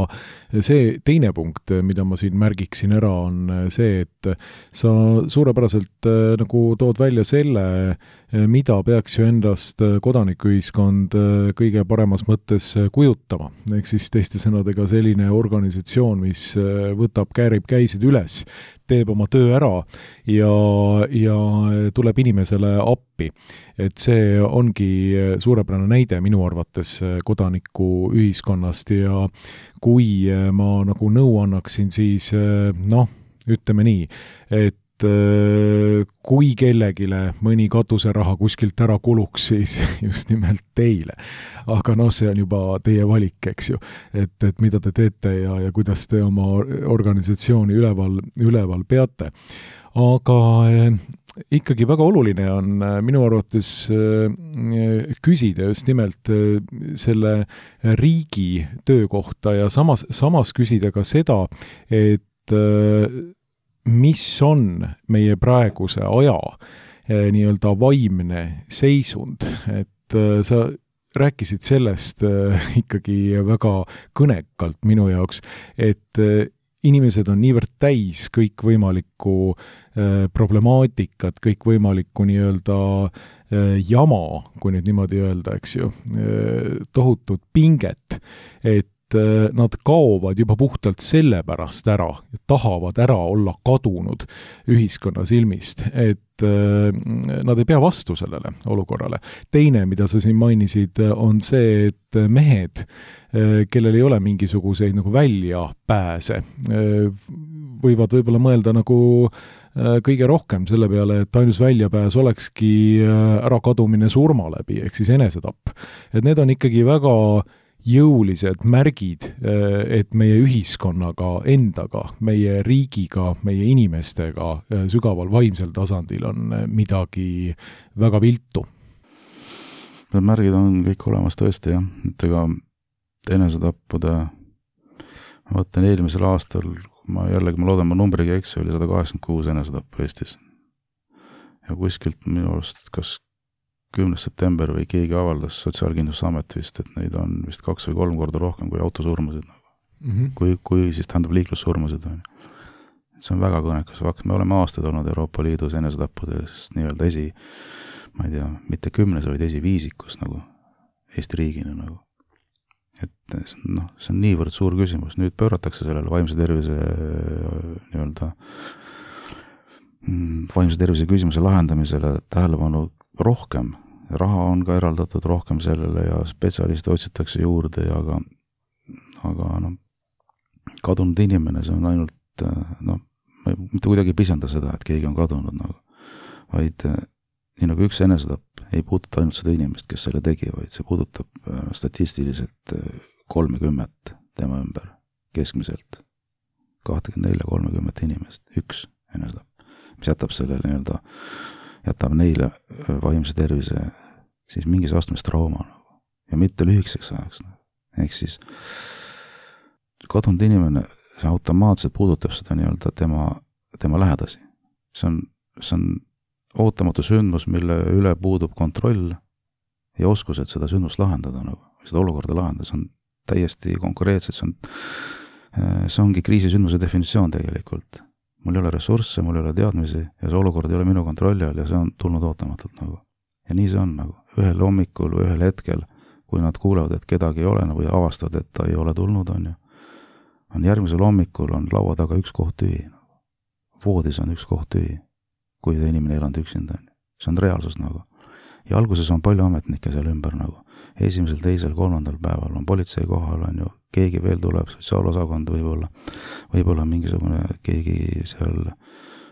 see teine punkt, mida ma siin märgiksin ära, on see, et sa suurepäraselt nagu tood välja selle, mida peaks ju endast kodanikuühiskond kõige paremas mõttes kujutama. Ehk siis teiste sõnadega selline organisatsioon, mis võtab, käärib käisid üles, teeb oma töö ära ja, ja tuleb inimesele appi. Et see ongi suurepärane näide minu arvates kodanikuühiskonnast ja kui ma nagu nõu annaksin, siis noh, ütleme nii, et kui kellegile mõni katuseraha kuskilt ära kuluks, siis just nimelt teile. Aga noh, see on juba teie valik, eks ju, et, et mida te teete ja, ja kuidas te oma organisatsiooni üleval, üleval peate. Aga ikkagi väga oluline on minu arvates küsida just nimelt selle riigi töö kohta ja samas, samas küsida ka seda, et mis on meie praeguse aja nii-öelda vaimne seisund, et sa rääkisid sellest ikkagi väga kõnekalt minu jaoks, et inimesed on niivõrd täis kõikvõimalikku problemaatikat, kõikvõimalikku nii-öelda jama, kui nüüd niimoodi öelda, eks ju, tohutut pinget, et nad kaovad juba puhtalt sellepärast ära, tahavad ära olla kadunud ühiskonna silmist, et nad ei pea vastu sellele olukorrale. Teine, mida sa siin mainisid, on see, et mehed, kellel ei ole mingisuguseid nagu väljapääse, võivad võib-olla mõelda nagu kõige rohkem selle peale, et ainus väljapääs olekski ärakadumine surma läbi, ehk siis enesetapp. Et need on ikkagi väga jõulised märgid, et meie ühiskonnaga endaga, meie riigiga, meie inimestega sügaval vaimsel tasandil on midagi väga viltu. Need märgid on kõik olemas tõesti, jah. Et ega enesetappude, ma võtan eelmisel aastal, ma jällegi, ma loodan, ma numbriga eksi, oli sada kaheksakümmend kuus enesetappu Eestis. Ja kuskilt minu arust, kas kümnes september või keegi avaldas Sotsiaalkindlustusamet vist, et neid on vist kaks või kolm korda rohkem kui autosurmasid. Mm -hmm. Kui, kui siis tähendab liiklussurmasid. See on väga kõnekas fakt. Me oleme aastaid olnud Euroopa Liidus enesetappudest nii-öelda esi, ma ei tea, mitte kümnes, vaid esiviisikus nagu Eesti riigina nagu. Et noh, see on niivõrd suur küsimus. Nüüd pööratakse sellele vaimse tervise nii-öelda vaimse tervise küsimuse lahendamisele tähelepanu rohkem, raha on ka eraldatud rohkem sellele ja spetsialiste otsitakse juurde ja aga, aga no, kadunud inimene, see on ainult, noh, ma mitte kuidagi pisenda seda, et keegi on kadunud, nagu, vaid nii nagu üks enesetapp ei puuduta ainult seda inimest, kes selle tegi, vaid see puudutab statistiliselt kolmekümmet tema ümber, keskmiselt kakskümmend neli kolmekümmet inimest, üks enesetapp, mis jätab selle nii-öelda jätab neile vaimse tervise siis mingis astmes trauma nagu. Ja mitte lühikeseks ajaks. Nagu. Ehk siis kadunud inimene, see automaatselt puudutab seda nii-öelda tema, tema lähedasi. See on, see on ootamatu sündmus, mille üle puudub kontroll ja oskus, et seda sündmust lahendada, nagu, seda olukorda lahendada. See on täiesti konkreetselt, see, on, see ongi kriisisündmuse definitsioon tegelikult. Mul ei ole ressursse, mul ei ole teadmisi ja see olukord ei ole minu kontrolli all ja see on tulnud ootamatult nagu. Ja nii see on nagu. Ühel hommikul või ühel hetkel, kui nad kuulevad, et kedagi ei ole või avastavad, et ta ei ole tulnud, on ju. On järgmisel hommikul on laua taga üks koht tühi. Voodis on üks koht tühi, kui ta inimene ei elanud üksinda. See on reaalsus nagu. Ja alguses on palju ametnikke seal ümber nagu. Esimesel, teisel, kolmandal päeval on politsei kohal, on ju, keegi veel tuleb, sotsiaalosakond võib-olla, võib-olla mingisugune keegi seal,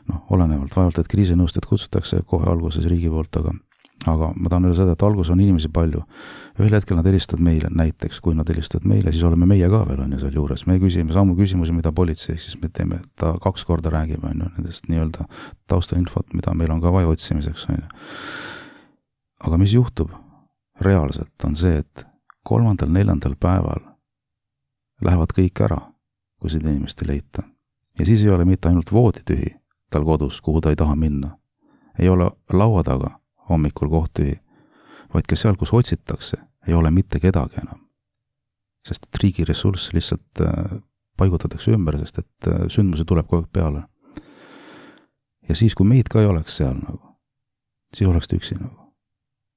noh, olenevalt, vaevalt, et kriisinõustajad kutsutakse kohe alguses riigi poolt, aga, aga ma tahan öelda seda, et algus on inimesi palju. Ühel hetkel nad helistavad meile, näiteks, kui nad helistavad meile, siis oleme meie ka veel, on ju, seal juures. Me küsime samu küsimusi, mida politsei, siis me teeme, ta kaks korda räägib, on ju, nendest nii-öelda taustainfot, mida meil on ka vaja otsimiseks, on ju. Aga mis juhtub reaalselt on see, et kolmandal, neljandal päeval lähevad kõik ära, kui seda inimest ei leita. Ja siis ei ole mitte ainult voodi tühi tal kodus, kuhu ta ei taha minna. Ei ole laua taga hommikul koht tühi, vaid ka seal, kus otsitakse, ei ole mitte kedagi enam. Sest et riigi ressurss lihtsalt paigutatakse ümber, sest et sündmusi tuleb kogu aeg peale. Ja siis, kui meid ka ei oleks seal, nagu, siis oleks ta üksi. Nagu.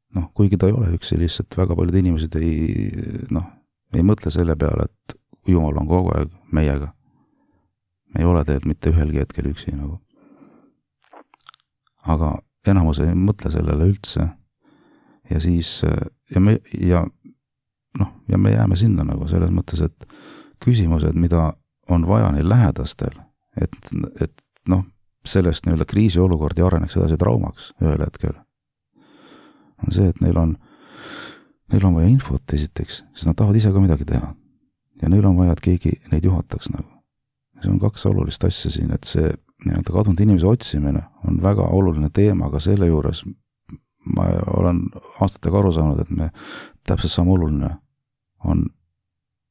Noh, kuigi ta ei ole üksi, lihtsalt väga paljud inimesed ei, noh, ei mõtle selle peale, et Jumal on kogu aeg meiega. Me ei ole teed mitte ühelgi hetkel üksi. Nagu. Aga enamus ei mõtle sellele üldse. Ja siis, ja me, ja, noh, ja me jääme sinna nagu selles mõttes, et küsimused, mida on vaja neil lähedastel, et, et noh, sellest nii-öelda kriisiolukord ja areneks edasi traumaks ühel hetkel, on see, et neil on, neil on vaja infot esiteks, sest nad tahavad ise ka midagi teha. Ja neil on vaja, et keegi neid juhataks nagu. See on kaks olulist asja siin, et see nii-öelda kadunud inimese otsimine on väga oluline teema, aga selle juures ma olen aastatega aru saanud, et me täpselt sama oluline on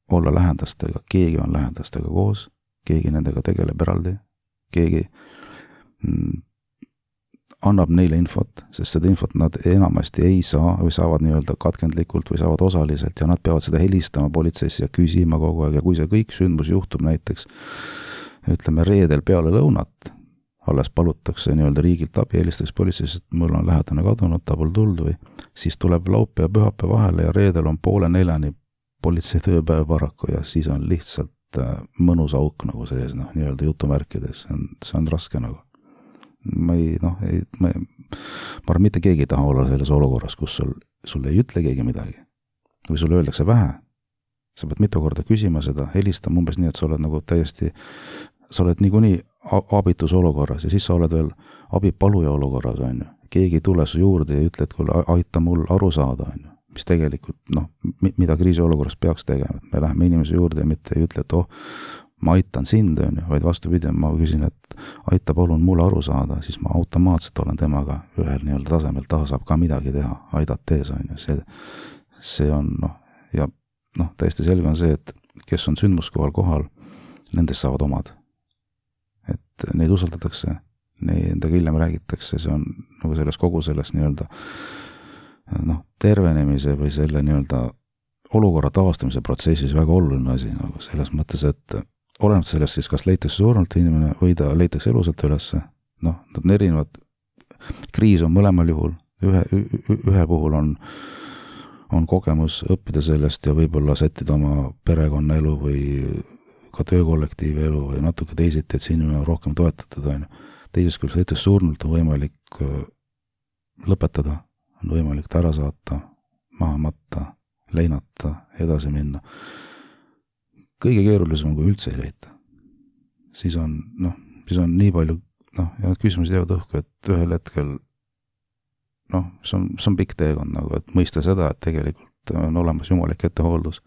olla lähendastega, keegi on lähendastega koos, keegi nendega tegeleb eraldi, keegi mm, annab neile infot, sest seda infot nad enamasti ei saa või saavad nii-öelda katkendlikult või saavad osaliselt ja nad peavad seda helistama politseisse ja küsima kogu aeg ja kui see kõik sündmus juhtub näiteks, ütleme reedel peale lõunat, alles palutakse nii-öelda riigilt abi, helistatakse politseisse, et mul on lähedane kadunud, ta pole tulnud või siis tuleb laupäev ja pühapäev vahele ja reedel on poole neljani politsei tööpäev paraku ja siis on lihtsalt mõnus auk nagu sees, noh, nii-öelda jutumärkides, see on, see on raske nagu. Ma ei, noh, ei, ma, ma arvan, mitte keegi ei taha olla selles olukorras, kus sul, sul ei ütle keegi midagi. Või sulle öeldakse vähe. Sa pead mitu korda küsima seda, helistama umbes nii, et sa oled nagu täiesti, sa oled niikuinii abitus olukorras ja siis sa oled veel abipaluja olukorras, on ju. Keegi ei tule su juurde ja ütle, et kuule, aita mul aru saada, on ju. Mis tegelikult, noh, mida kriisi olukorras peaks tegema. Me läheme inimese juurde ja mitte ei ütle, et oh, ma aitan sind, on ju, vaid vastupidi, ma küsin, et aita palun mulle aru saada, siis ma automaatselt olen temaga ühel nii-öelda tasemel, ta saab ka midagi teha, aidat tees, on ju, see, see on, noh, ja noh, täiesti selge on see, et kes on sündmuskohal kohal, nendest saavad omad. Et neid usaldatakse, nendega hiljem räägitakse, see on nagu selles kogu selles nii-öelda noh, tervenemise või selle nii-öelda olukorra taastamise protsessis väga oluline asi, nagu selles mõttes, et oleneb sellest siis, kas leitakse surnult inimene või ta leitakse elusalt ülesse. Noh, nad on erinevad. Kriis on mõlemal juhul. Ühe, ühe puhul on, on kogemus õppida sellest ja võib-olla sättida oma perekonna elu või ka töökollektiivi elu või natuke teisiti, et see inimene on rohkem toetatud. On. Teises küll leitakse surnult on võimalik lõpetada, on võimalik ta ära saata, maha matta, leinata, edasi minna. Kõige keerulisem on, kui üldse ei leita. Siis on, noh, siis on nii palju, noh, ja need küsimused jäävad õhku, et ühel hetkel, noh, see on, see on pikk teekond, nagu, et mõista seda, et tegelikult on olemas jumalik ettehooldus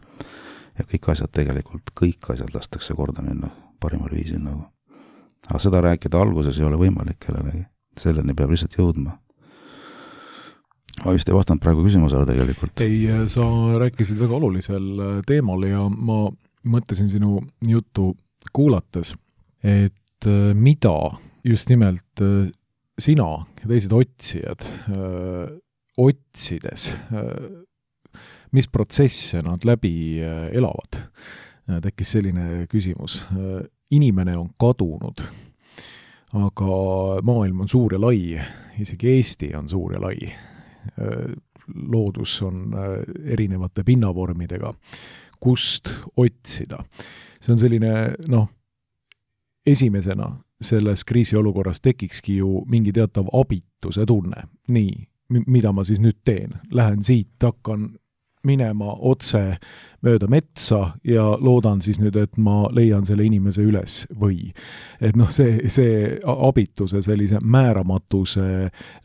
ja kõik asjad tegelikult, kõik asjad lastakse korda minna parimal viisil, nagu. Aga seda rääkida alguses ei ole võimalik kellelegi. Selleni peab lihtsalt jõudma. Ma vist ei vastanud praegu küsimusele tegelikult. Ei, sa rääkisid väga olulisel teemal ja ma mõtlesin sinu juttu kuulates, et mida just nimelt sina ja teised otsijad öö, otsides, mis protsesse nad läbi elavad. Tekkis selline küsimus. Inimene on kadunud, aga maailm on suur ja lai, isegi Eesti on suur ja lai. Loodus on erinevate pinnavormidega, kust otsida. See on selline, noh, esimesena selles kriisiolukorras tekikski ju mingi teatav abituse tunne. Nii, mida ma siis nüüd teen? Lähen siit, hakkan minema otse mööda metsa ja loodan siis nüüd, et ma leian selle inimese üles või. Et noh, see, see abituse sellise määramatuse,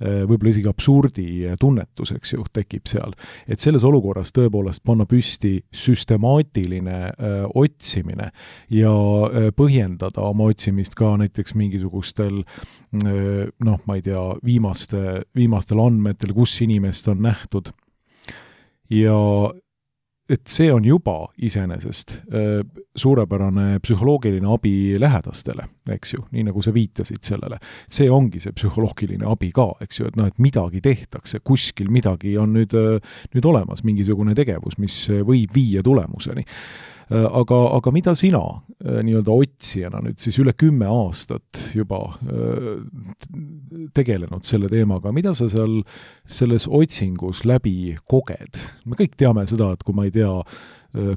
võib-olla isegi absurdi tunnetus, eks ju, tekib seal. Et selles olukorras tõepoolest panna püsti süstemaatiline öö, otsimine ja öö, põhjendada oma otsimist ka näiteks mingisugustel öö, noh, ma ei tea, viimaste, viimastel andmetel, kus inimest on nähtud. Ja et see on juba iseenesest äh, suurepärane psühholoogiline abi lähedastele, eks ju, nii nagu sa viitasid sellele. See ongi see psühholoogiline abi ka, eks ju, et noh, et midagi tehtakse, kuskil midagi on nüüd, nüüd olemas, mingisugune tegevus, mis võib viia tulemuseni. Aga, aga mida sina nii-öelda otsijana nüüd siis üle kümme aastat juba tegelenud selle teemaga, mida sa seal selles otsingus läbi koged? Me kõik teame seda, et kui ma ei tea,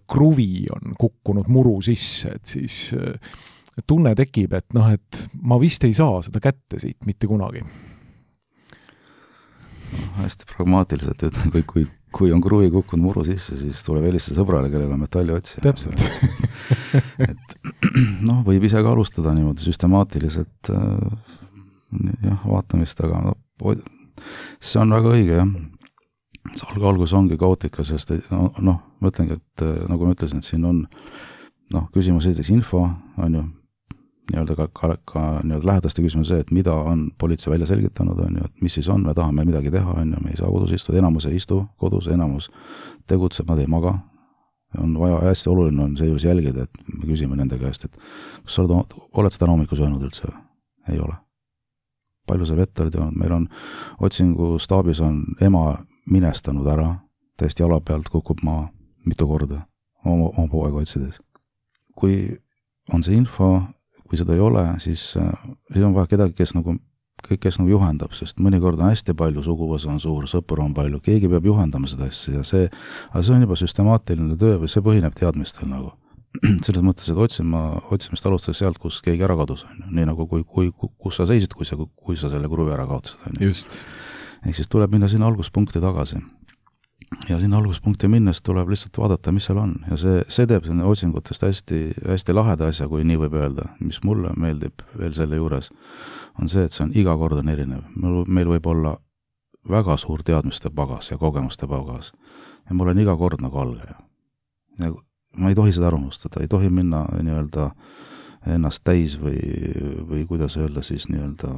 kruvi on kukkunud muru sisse, et siis tunne tekib, et noh, et ma vist ei saa seda kätte siit mitte kunagi. Hästi pragmaatiliselt ütlen, kui, kui kui on kruvi kukkunud muru sisse, siis tuleb helistada sõbrale, kellel on metalli otsija. Täpselt. et noh, võib ise ka alustada niimoodi süstemaatiliselt jah, vaatamist, aga no, see on väga õige, jah. See algus ongi kaootika, sest noh, no, ma ütlengi, et nagu ma ütlesin, et siin on noh, küsimus esiteks info, on ju, nii-öelda ka, ka, ka nii-öelda lähedaste küsimus see, et mida on politsei välja selgitanud, on ju, et mis siis on, me tahame midagi teha, on ju, me ei saa kodus istuda, enamus ei istu kodus, enamus tegutseb, nad ei maga. On vaja, hästi oluline on seejuures jälgida, et me küsime nende käest, et kas sa oled, oled seda hommikul söönud üldse? Ei ole. Palju sa vett oled joonud? Meil on otsingu staabis on ema minestanud ära, täiesti jala pealt kukub maa mitu korda oma, oma poega otsides. Kui on see info, kui seda ei ole, siis, siis on vaja kedagi, kes nagu, kes nagu juhendab, sest mõnikord on hästi palju, suguvõsa on suur, sõpru on palju, keegi peab juhendama seda asja ja see, aga see on juba süstemaatiline töö või see põhineb teadmistel nagu. Selles mõttes, et otsima, otsimist alustada sealt, kus keegi ära kadus, on ju. Nii nagu kui, kui, kus sa seisid, kui sa, kui sa selle kruvi ära kaotasid, on ju. Just. Ehk siis tuleb minna sinna alguspunkti tagasi. Ja sinna alguspunkti minnes tuleb lihtsalt vaadata, mis seal on. Ja see, see teeb sinna otsingutest hästi, hästi laheda asja, kui nii võib öelda. Mis mulle meeldib veel selle juures, on see, et see on iga kord on erinev. Meil võib olla väga suur teadmiste pagas ja kogemuste pagas. Ja mul on iga kord nagu algaja. Ja ma ei tohi seda arvustada, ei tohi minna nii-öelda ennast täis või, või kuidas öelda siis nii-öelda,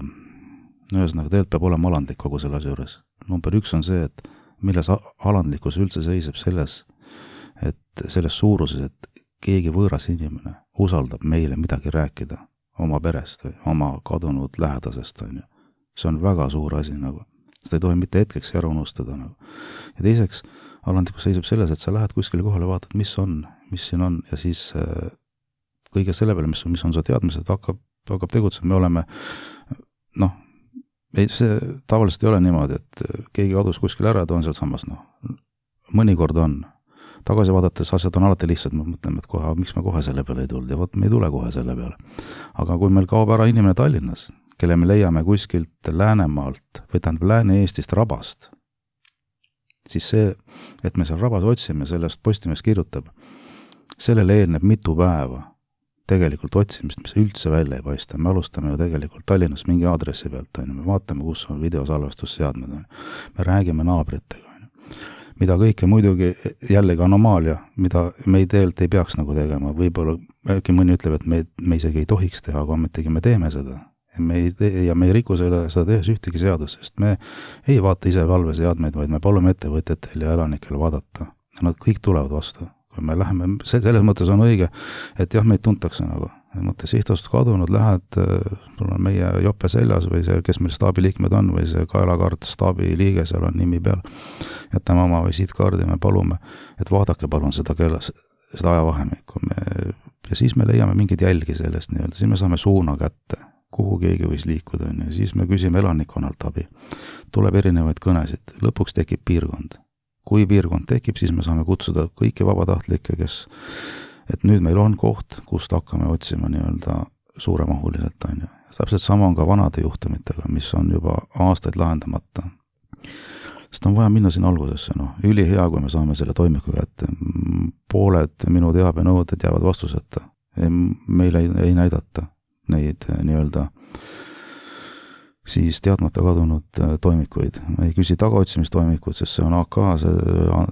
ühesõnaga tegelikult peab olema alandlik kogu selle asja juures. Number üks on see, et milles alandlikkus üldse seiseb selles, et selles suuruses, et keegi võõras inimene usaldab meile midagi rääkida oma perest või oma kadunud lähedasest, on ju. See on väga suur asi nagu. Seda ei tohi mitte hetkeks ära unustada nagu. Ja teiseks, alandlikkus seisab selles, et sa lähed kuskile kohale, vaatad, mis on, mis siin on ja siis äh, kõige selle peale, mis, mis on su teadmised, hakkab, hakkab tegutsema. Me oleme, noh, ei, see tavaliselt ei ole niimoodi, et keegi kadus kuskil ära ja ta on seal samas, noh, mõnikord on. Tagasi vaadates asjad on alati lihtsad, me mõtleme, et kohe, miks me kohe selle peale ei tulnud ja võt, me ei tule kohe selle peale. Aga kui meil kaob ära inimene Tallinnas, kelle me leiame kuskilt Läänemaalt või tähendab Lääne-Eestist rabast, siis see, et me seal rabas otsime, sellest Postimees kirjutab, sellele eelneb mitu päeva tegelikult otsimist, mis üldse välja ei paista. Me alustame ju tegelikult Tallinnas mingi aadressi pealt, on ju. Me vaatame, kus on videosalvestusseadmed, on ju. Me räägime naabritega, on ju. Mida kõike muidugi jällegi anomaalia, mida me ei teelt ei peaks nagu tegema. Võib-olla äkki mõni ütleb, et me, me isegi ei tohiks teha, aga ometigi me teeme seda. Ja me ei, tee, ja me ei riku selle, seda tehes ühtegi seadus, sest me ei vaata ise valveseadmeid, vaid me palume ettevõtjatel ja elanikel vaadata. Ja nad kõik tulevad vastu. Kui me läheme, selles mõttes on õige, et jah, meid tuntakse nagu. Mõte sihtasust kadunud, lähed, sul on meie jope seljas või see, kes meil staabi liikmed on või see kaelakaart staabi liige, seal on nimi peal. Jätame oma visiitkaardi ja me palume, et vaadake palun seda kellas, seda ajavahemikku. Me, ja siis me leiame mingid jälgi sellest nii-öelda, siis me saame suuna kätte, kuhu keegi võis liikuda, ja siis me küsime elanikkonnalt abi. Tuleb erinevaid kõnesid, lõpuks tekib piirkond. Kui piirkond tekib, siis me saame kutsuda kõiki vabatahtlikke, kes, et nüüd meil on koht, kust hakkame otsima nii-öelda suuremahuliselt, on ju. Täpselt sama on ka vanade juhtumitega, mis on juba aastaid lahendamata. Sest on vaja minna siin algusesse, noh, üli hea, kui me saame selle toimiku kätte. Pooled minu teabenõuded jäävad vastuseta. Meile ei, ei näidata neid nii-öelda siis teadmata kadunud toimikuid. Me ei küsi tagaotsimistoimikuid, sest see on A K, see,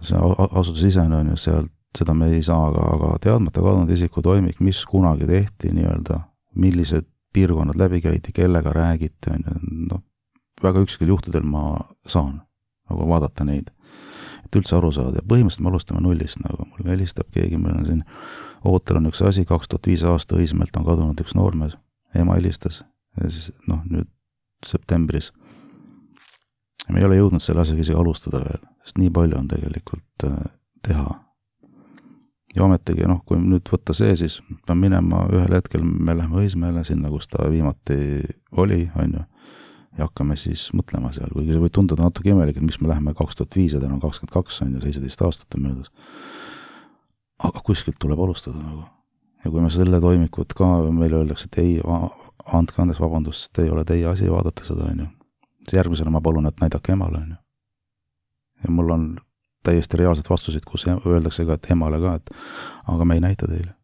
see asutusisene on ju sealt, seda me ei saa, aga, aga teadmata kadunud isiku toimik, mis kunagi tehti nii-öelda, millised piirkonnad läbi käidi, kellega räägiti, on ju, noh, väga ükskõik juhtudel ma saan nagu vaadata neid, et üldse aru saada. Ja põhimõtteliselt me alustame nullist, nagu mul helistab keegi, meil on siin ootel on üks asi, kaks tuhat viis aasta Õismäelt on kadunud üks noormees, ema helistas ja siis, noh, nüüd septembris. Me ei ole jõudnud selle asjaga isegi alustada veel, sest nii palju on tegelikult teha. Ja ometigi, noh, kui nüüd võtta see, siis pean minema ühel hetkel, me lähme Õismäele sinna, kus ta viimati oli, on ju, ja hakkame siis mõtlema seal, kuigi see võib tunduda natuke imelik, et mis me läheme kaks tuhat viis ja täna on kakskümmend kaks, on ju, seitseteist aastat on möödas. Aga kuskilt tuleb alustada nagu. Ja kui me selle toimikut ka, meile öeldakse, et ei, andke andeks vabandust, ei ole teie asi vaadata seda, on ju. Järgmisena ma palun, et näidake emale, on ju. Ja mul on täiesti reaalsed vastuseid, kus öeldakse ka, et emale ka, et aga me ei näita teile.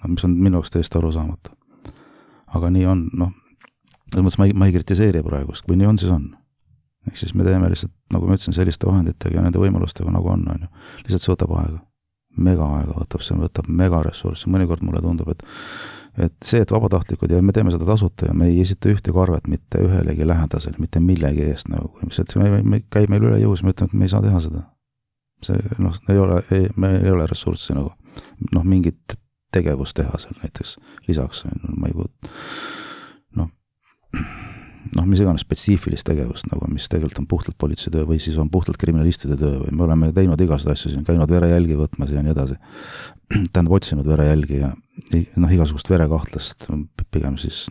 No, mis on minu jaoks täiesti aru saamata. Aga nii on, noh, ma ei, ma ei kritiseeri praegust, kui nii on, siis on. Ehk siis me teeme lihtsalt, nagu ma ütlesin, selliste vahenditega ja nende võimalustega, nagu on, on ju. Lihtsalt see võtab aega. Mega aega võtab, see võtab mega ressurssi. Mõnikord mulle tundub, et, et see, et vabatahtlikud ja me teeme seda tasuta ja me ei esita ühte karvet mitte ühelegi lähedasel, mitte millegi eest, nagu, mis, et me, me käib meil üle jõus, me ütleme, et me ei saa teha seda. See, noh, ei ole, ei, me ei ole ressurssi nagu, noh, mingit tegevust teha seal näiteks lisaks, ma ei kuud, noh, noh, mis iganes spetsiifilist tegevust, nagu, mis tegelikult on puhtalt politsei töö või siis on puhtalt kriminalistide töö või me oleme teinud igasuguseid asju siin, käinud verejälgi võtmas ja nii edasi. Tähendab, otsinud verejälgi ja noh, igasugust verekahtlast, pigem siis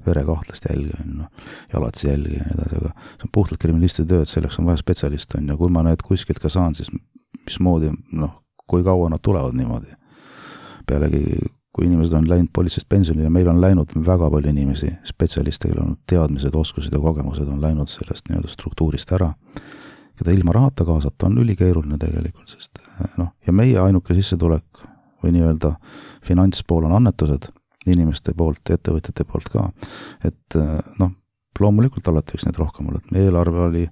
verekahtlast jälgi, no, jalatsi jälgi ja nii edasi, aga see on puhtalt kriminalistide töö, et selleks on vaja spetsialist, on ja kui ma need kuskilt ka saan, siis mismoodi, noh, kui kaua nad tulevad niimoodi. Pealegi, kui inimesed on läinud politseist pensionile ja meil on läinud väga palju inimesi, spetsialiste, kellel on teadmised, oskused ja kogemused on läinud sellest nii-öelda struktuurist ära, keda ilma rahata kaasata on ülikeeruline tegelikult, sest noh, ja meie ainuke sissetulek või nii-öelda finantspool on annetused inimeste poolt, ettevõtjate poolt ka, et noh, loomulikult alati võiks neid rohkem olla, et meie eelarve oli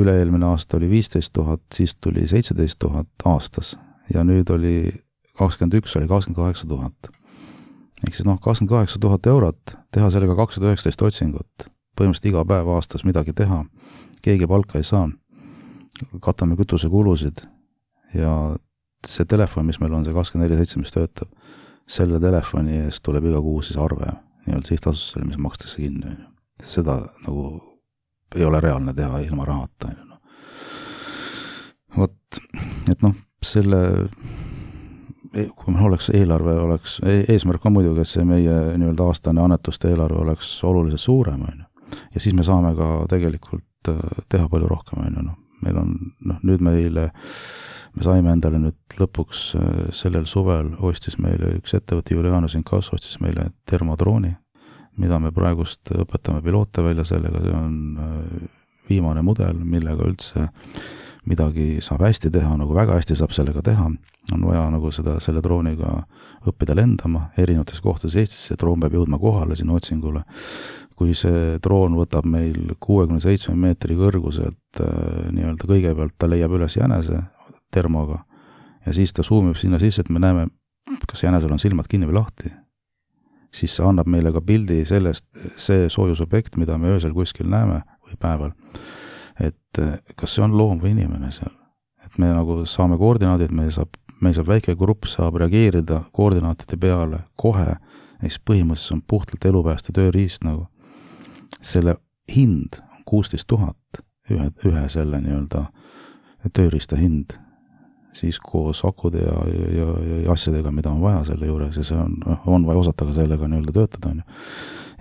üle-eelmine aasta oli viisteist tuhat, siis tuli seitseteist tuhat aastas ja nüüd oli kakskümmend üks oli kakskümmend kaheksa tuhat. Ehk siis noh, kakskümmend kaheksa tuhat eurot, teha sellega kakssada üheksateist otsingut, põhimõtteliselt iga päev aastas midagi teha, keegi palka ei saa, katame kütuse kulusid ja see telefon, mis meil on, see kakskümmend neli seitse, mis töötab, selle telefoni eest tuleb iga kuu siis arve, nii-öelda sihtasutusele, mis makstakse kinni. Seda nagu ei ole reaalne teha ilma rahata. Vot, et noh, selle kui meil oleks eelarve, oleks, eesmärk on muidugi, et see meie nii-öelda aastane annetuste eelarve oleks oluliselt suurem, on ju. Ja siis me saame ka tegelikult teha palju rohkem, on ju. No, meil on, noh, nüüd meile, me saime endale nüüd lõpuks sellel suvel ostis meile üks ettevõte Julianus Inkasso ostis meile termodrooni, mida me praegust õpetame piloote välja sellega, see on viimane mudel, millega üldse midagi saab hästi teha, nagu väga hästi saab sellega teha, on vaja nagu seda, selle drooniga õppida lendama erinevates kohtades Eestis, see droon peab jõudma kohale sinna otsingule. Kui see droon võtab meil kuuekümne seitsme meetri kõrguselt nii-öelda kõigepealt, ta leiab üles jänese termoga ja siis ta suumib sinna sisse, et me näeme, kas jänesel on silmad kinni või lahti. Siis see annab meile ka pildi sellest, see soojusobjekt, mida me öösel kuskil näeme või päeval, et kas see on loom või inimene seal. Et me nagu saame koordinaadid, meil saab, meil saab väike grupp saab reageerida koordinaatide peale kohe, eks põhimõtteliselt on puhtalt elupääste tööriist nagu. Selle hind on kuusteist tuhat, ühe, ühe selle nii-öelda tööriista hind, siis koos akude ja, ja, ja asjadega, mida on vaja selle juures ja see on, on vaja osata ka sellega nii-öelda töötada. On ju.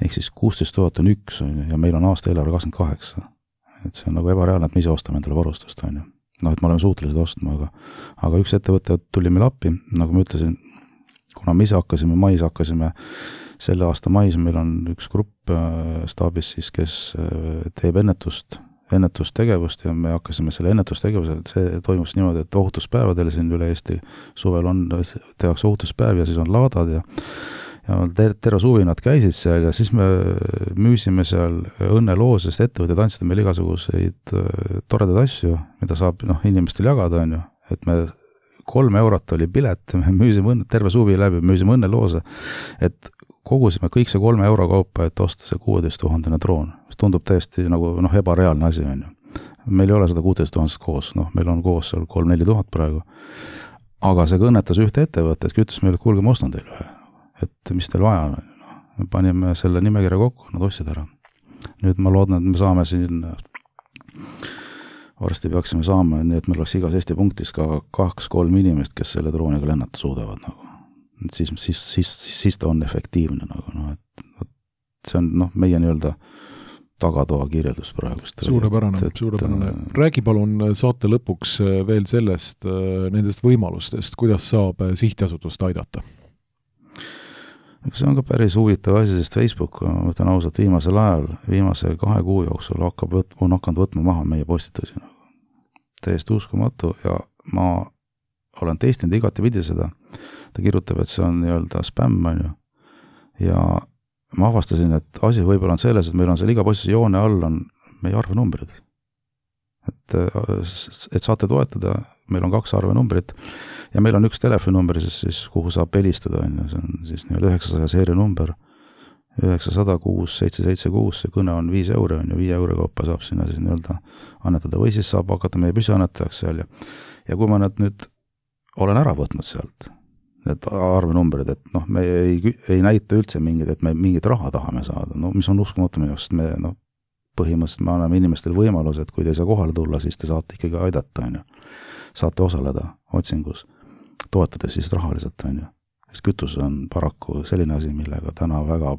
Ehk siis kuusteist tuhat on üks on ju, ja meil on aasta eelarve kakskümmend kaheksa. Et see on nagu ebareaalne, et me ise ostame endale varustust, on ju. No, et me oleme suutelised ostma, aga, aga üks ettevõte tuli meil appi, nagu ma ütlesin, kuna me ise hakkasime, mais hakkasime, selle aasta mais meil on üks grupp staabis siis, kes teeb ennetust, ennetustegevust ja me hakkasime selle ennetustegevusel, et see toimus niimoodi, et ohutuspäevadel siin üle Eesti suvel on, tehakse ohutuspäev ja siis on laadad ja ja ter terve suvi nad käisid seal ja siis me müüsime seal õnneloos, sest ettevõtted andsid meil igasuguseid toredaid asju, mida saab noh, inimestel jagada, on ju, et me kolm eurot oli pilet, me müüsime õnne, terve suvi läbi, müüsime õnneloose, et kogusime kõik see kolme euro kaupa, et osta see kuueteist tuhandene droon, mis tundub täiesti nagu noh, ebareaalne asi, on ju. Meil ei ole seda kuueteist tuhandest koos, noh, meil on koos seal kolm-neli tuhat praegu, aga see kõnnetas ühte ettevõtet, küttis meile, et kuulge, ma ostan teile ühe. Et mis teil vaja on, no, me panime selle nimekirja kokku, nad ostsid ära. Nüüd ma loodan, et me saame siin, varsti peaksime saama, nii et meil oleks igas Eesti punktis ka kaks-kolm inimest, kes selle drooniga lennata suudavad. Nagu. Siis, siis, siis, siis ta on efektiivne. Nagu, no, et, see on noh, meie nii-öelda tagatoa kirjeldus praegust. Suurepärane, suurepärane. Räägi palun saate lõpuks veel sellest, nendest võimalustest, kuidas saab sihtjasutust aidata? See on ka päris huvitav asi, sest Facebook, ma ütlen ausalt, viimasel ajal, viimase kahe kuu jooksul hakkab, on hakanud võtma maha meie postitusi. täiesti uskumatu ja ma olen testinud igati pidi seda, ta kirjutab, et see on nii-öelda spämm, on ju, ja ma avastasin, et asi võib-olla on selles, et meil on seal iga postise joone all on meie arvenumbrid. Et, et saate toetada, meil on kaks arvenumbrit ja meil on üks telefoninumber, siis, siis kuhu saab helistada, on ju, see on siis nii-öelda üheksasaja seeria number, üheksasada kuus seitse seitse kuus, see kõne on viis euro, on ju, viie euro kaupa saab sinna siis nii-öelda annetada või siis saab hakata meie püsiannetajaks seal ja, ja kui ma need nüüd olen ära võtnud sealt, need arvenumbrid, et noh, me ei, ei näita üldse mingid, et me mingit raha tahame saada, no mis on uskumatu minu, sest me noh, põhimõtteliselt me anname inimestele võimaluse, et kui te ei saa kohale tulla, siis te saate ikkagi aidata, on ju. Saate osaleda otsingus, toetades siis rahaliselt, on ju. Sest kütus on paraku selline asi, millega täna väga,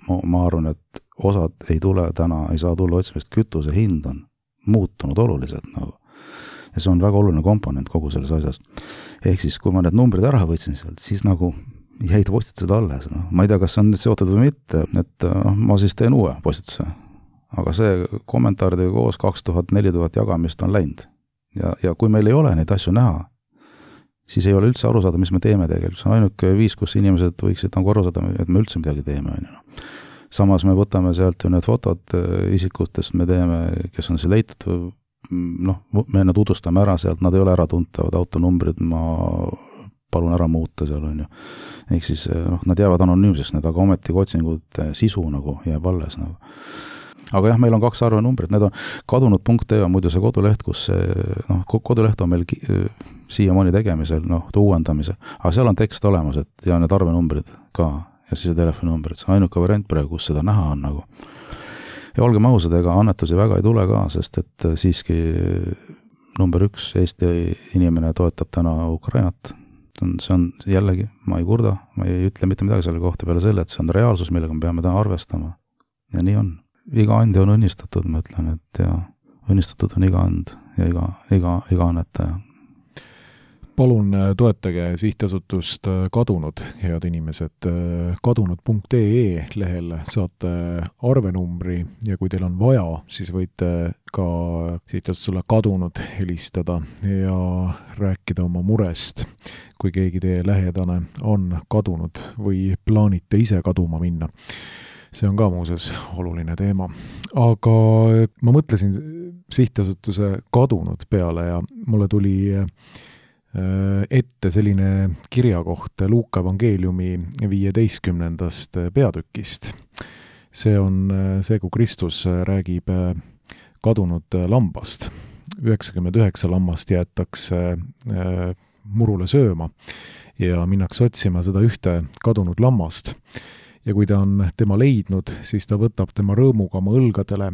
ma, ma arvan, et osad ei tule täna, ei saa tulla otsimist, kütuse hind on muutunud oluliselt nagu. Ja see on väga oluline komponent kogu selles asjas. Ehk siis, kui ma need numbrid ära võtsin sealt, siis nagu jäid postitused alles. No. Ma ei tea, kas see on nüüd seotud või mitte, et no, ma siis teen uue postituse. Aga see kommentaaridega koos kaks tuhat neli tuhat jagamist on läinud. Ja, ja kui meil ei ole neid asju näha, siis ei ole üldse aru saada, mis me teeme tegelikult. See on ainuke viis, kus inimesed võiksid nagu aru saada, et me üldse midagi teeme. Samas me võtame sealt ju need fotod isikutest, me teeme, kes on see leitud, noh, me enne tutvustame ära sealt, nad ei ole ära tuntavad autonumbrid, ma palun ära muuta seal, on ju. Ehk siis, noh, nad jäävad anonüümseks, need, aga ometi otsingud sisu nagu jääb alles nagu. Aga jah, meil on kaks arvenumbrit, need on kadunud punkt ee on muidu see koduleht, kus see, noh, koduleht on meil siiamaani tegemisel, noh, uuendamisel, aga seal on tekst olemas, et ja need arvenumbrid ka, ja siis see telefoninumbrid, see on ainuke variant praegu, kus seda näha on nagu. Ja olgem ausad, ega annetusi väga ei tule ka, sest et siiski number üks Eesti inimene toetab täna Ukrainat. See on jällegi, ma ei kurda, ma ei ütle mitte midagi selle kohta peale selle, et see on reaalsus, millega me peame täna arvestama. Ja nii on. Iga andi on õnnistatud, ma ütlen, et ja õnnistatud on iga and ja iga, iga, iga annetaja. Palun toetage sihtasutust Kadunud, head inimesed. kadunud punkt ee lehel saate arvenumbri ja kui teil on vaja, siis võite ka sihtasutusele Kadunud helistada ja rääkida oma murest, kui keegi teie lähedane on kadunud või plaanite ise kaduma minna. See on ka muuses oluline teema. Aga ma mõtlesin sihtasutuse Kadunud peale ja mulle tuli ette selline kirjakoht Luuka evangeeliumi viieteistkümnendast peatükist. See on see, kui Kristus räägib kadunud lambast. üheksakümmend üheksa lammast jäetakse murule sööma ja minnakse otsima seda ühte kadunud lammast. Ja kui ta on tema leidnud, siis ta võtab tema rõõmuga oma õlgadele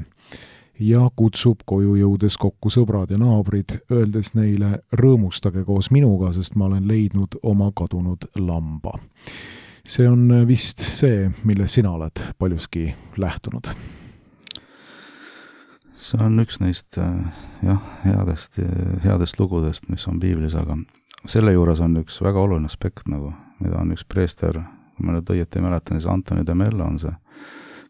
ja kutsub koju jõudes kokku sõbrad ja naabrid, öeldes neile, rõõmustage koos minuga, sest ma olen leidnud oma kadunud lamba. See on vist see, mille sina oled paljuski lähtunud. See on üks neist jah, headest, headest lugudest, mis on piiblis, aga selle juures on üks väga oluline aspekt, nagu, mida on üks preester, kui ma nüüd õieti mäletan, siis Antoni de Mello on see,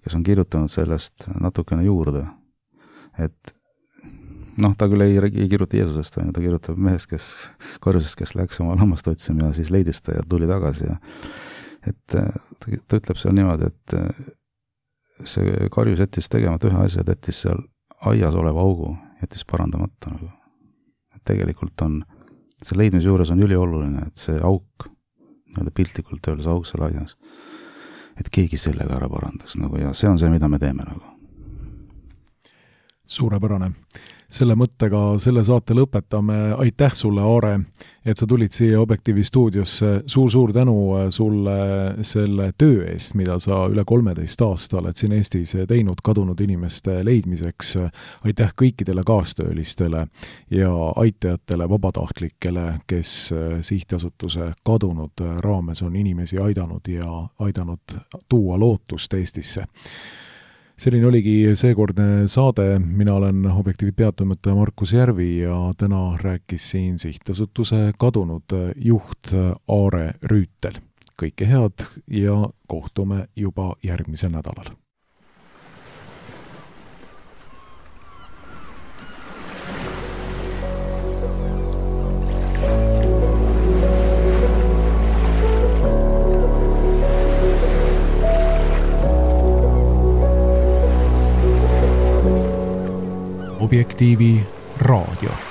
kes on kirjutanud sellest natukene juurde. Et noh, ta küll ei, ei kirjuta Jeesusest, ta kirjutab mehest, kes korjusest, kes läks oma lammast otsima ja siis leidis ta ja tuli tagasi. Ja, et ta, ta ütleb seal niimoodi, et see karjus jättis tegemata ühe asja, et jättis seal aias oleva augu, jättis parandamata. Nagu. Et tegelikult on, see leidmise juures on ülioluline, et see auk, nii-öelda piltlikult öeldes auk seal aias, et keegi sellega ära parandaks nagu, ja see on see, mida me teeme nagu. Suurepärane. Selle mõttega selle saate lõpetame. Aitäh sulle, Aare, et sa tulid siia Objektiivi stuudiosse. Suur-suur tänu sulle selle töö eest, mida sa üle kolmeteist aasta oled siin Eestis teinud kadunud inimeste leidmiseks. Aitäh kõikidele kaastöölistele ja aitajatele, vabatahtlikele, kes sihtasutuse Kadunud raames on inimesi aidanud ja aidanud tuua lootust Eestisse. Selline oligi seekordne saade. Mina olen Objektiivi peatoimetaja Markus Järvi ja täna rääkis siin sihtasutuse Kadunud juht Aare Rüütel. Kõike head ja kohtume juba järgmisel nädalal. Objektiivi raadio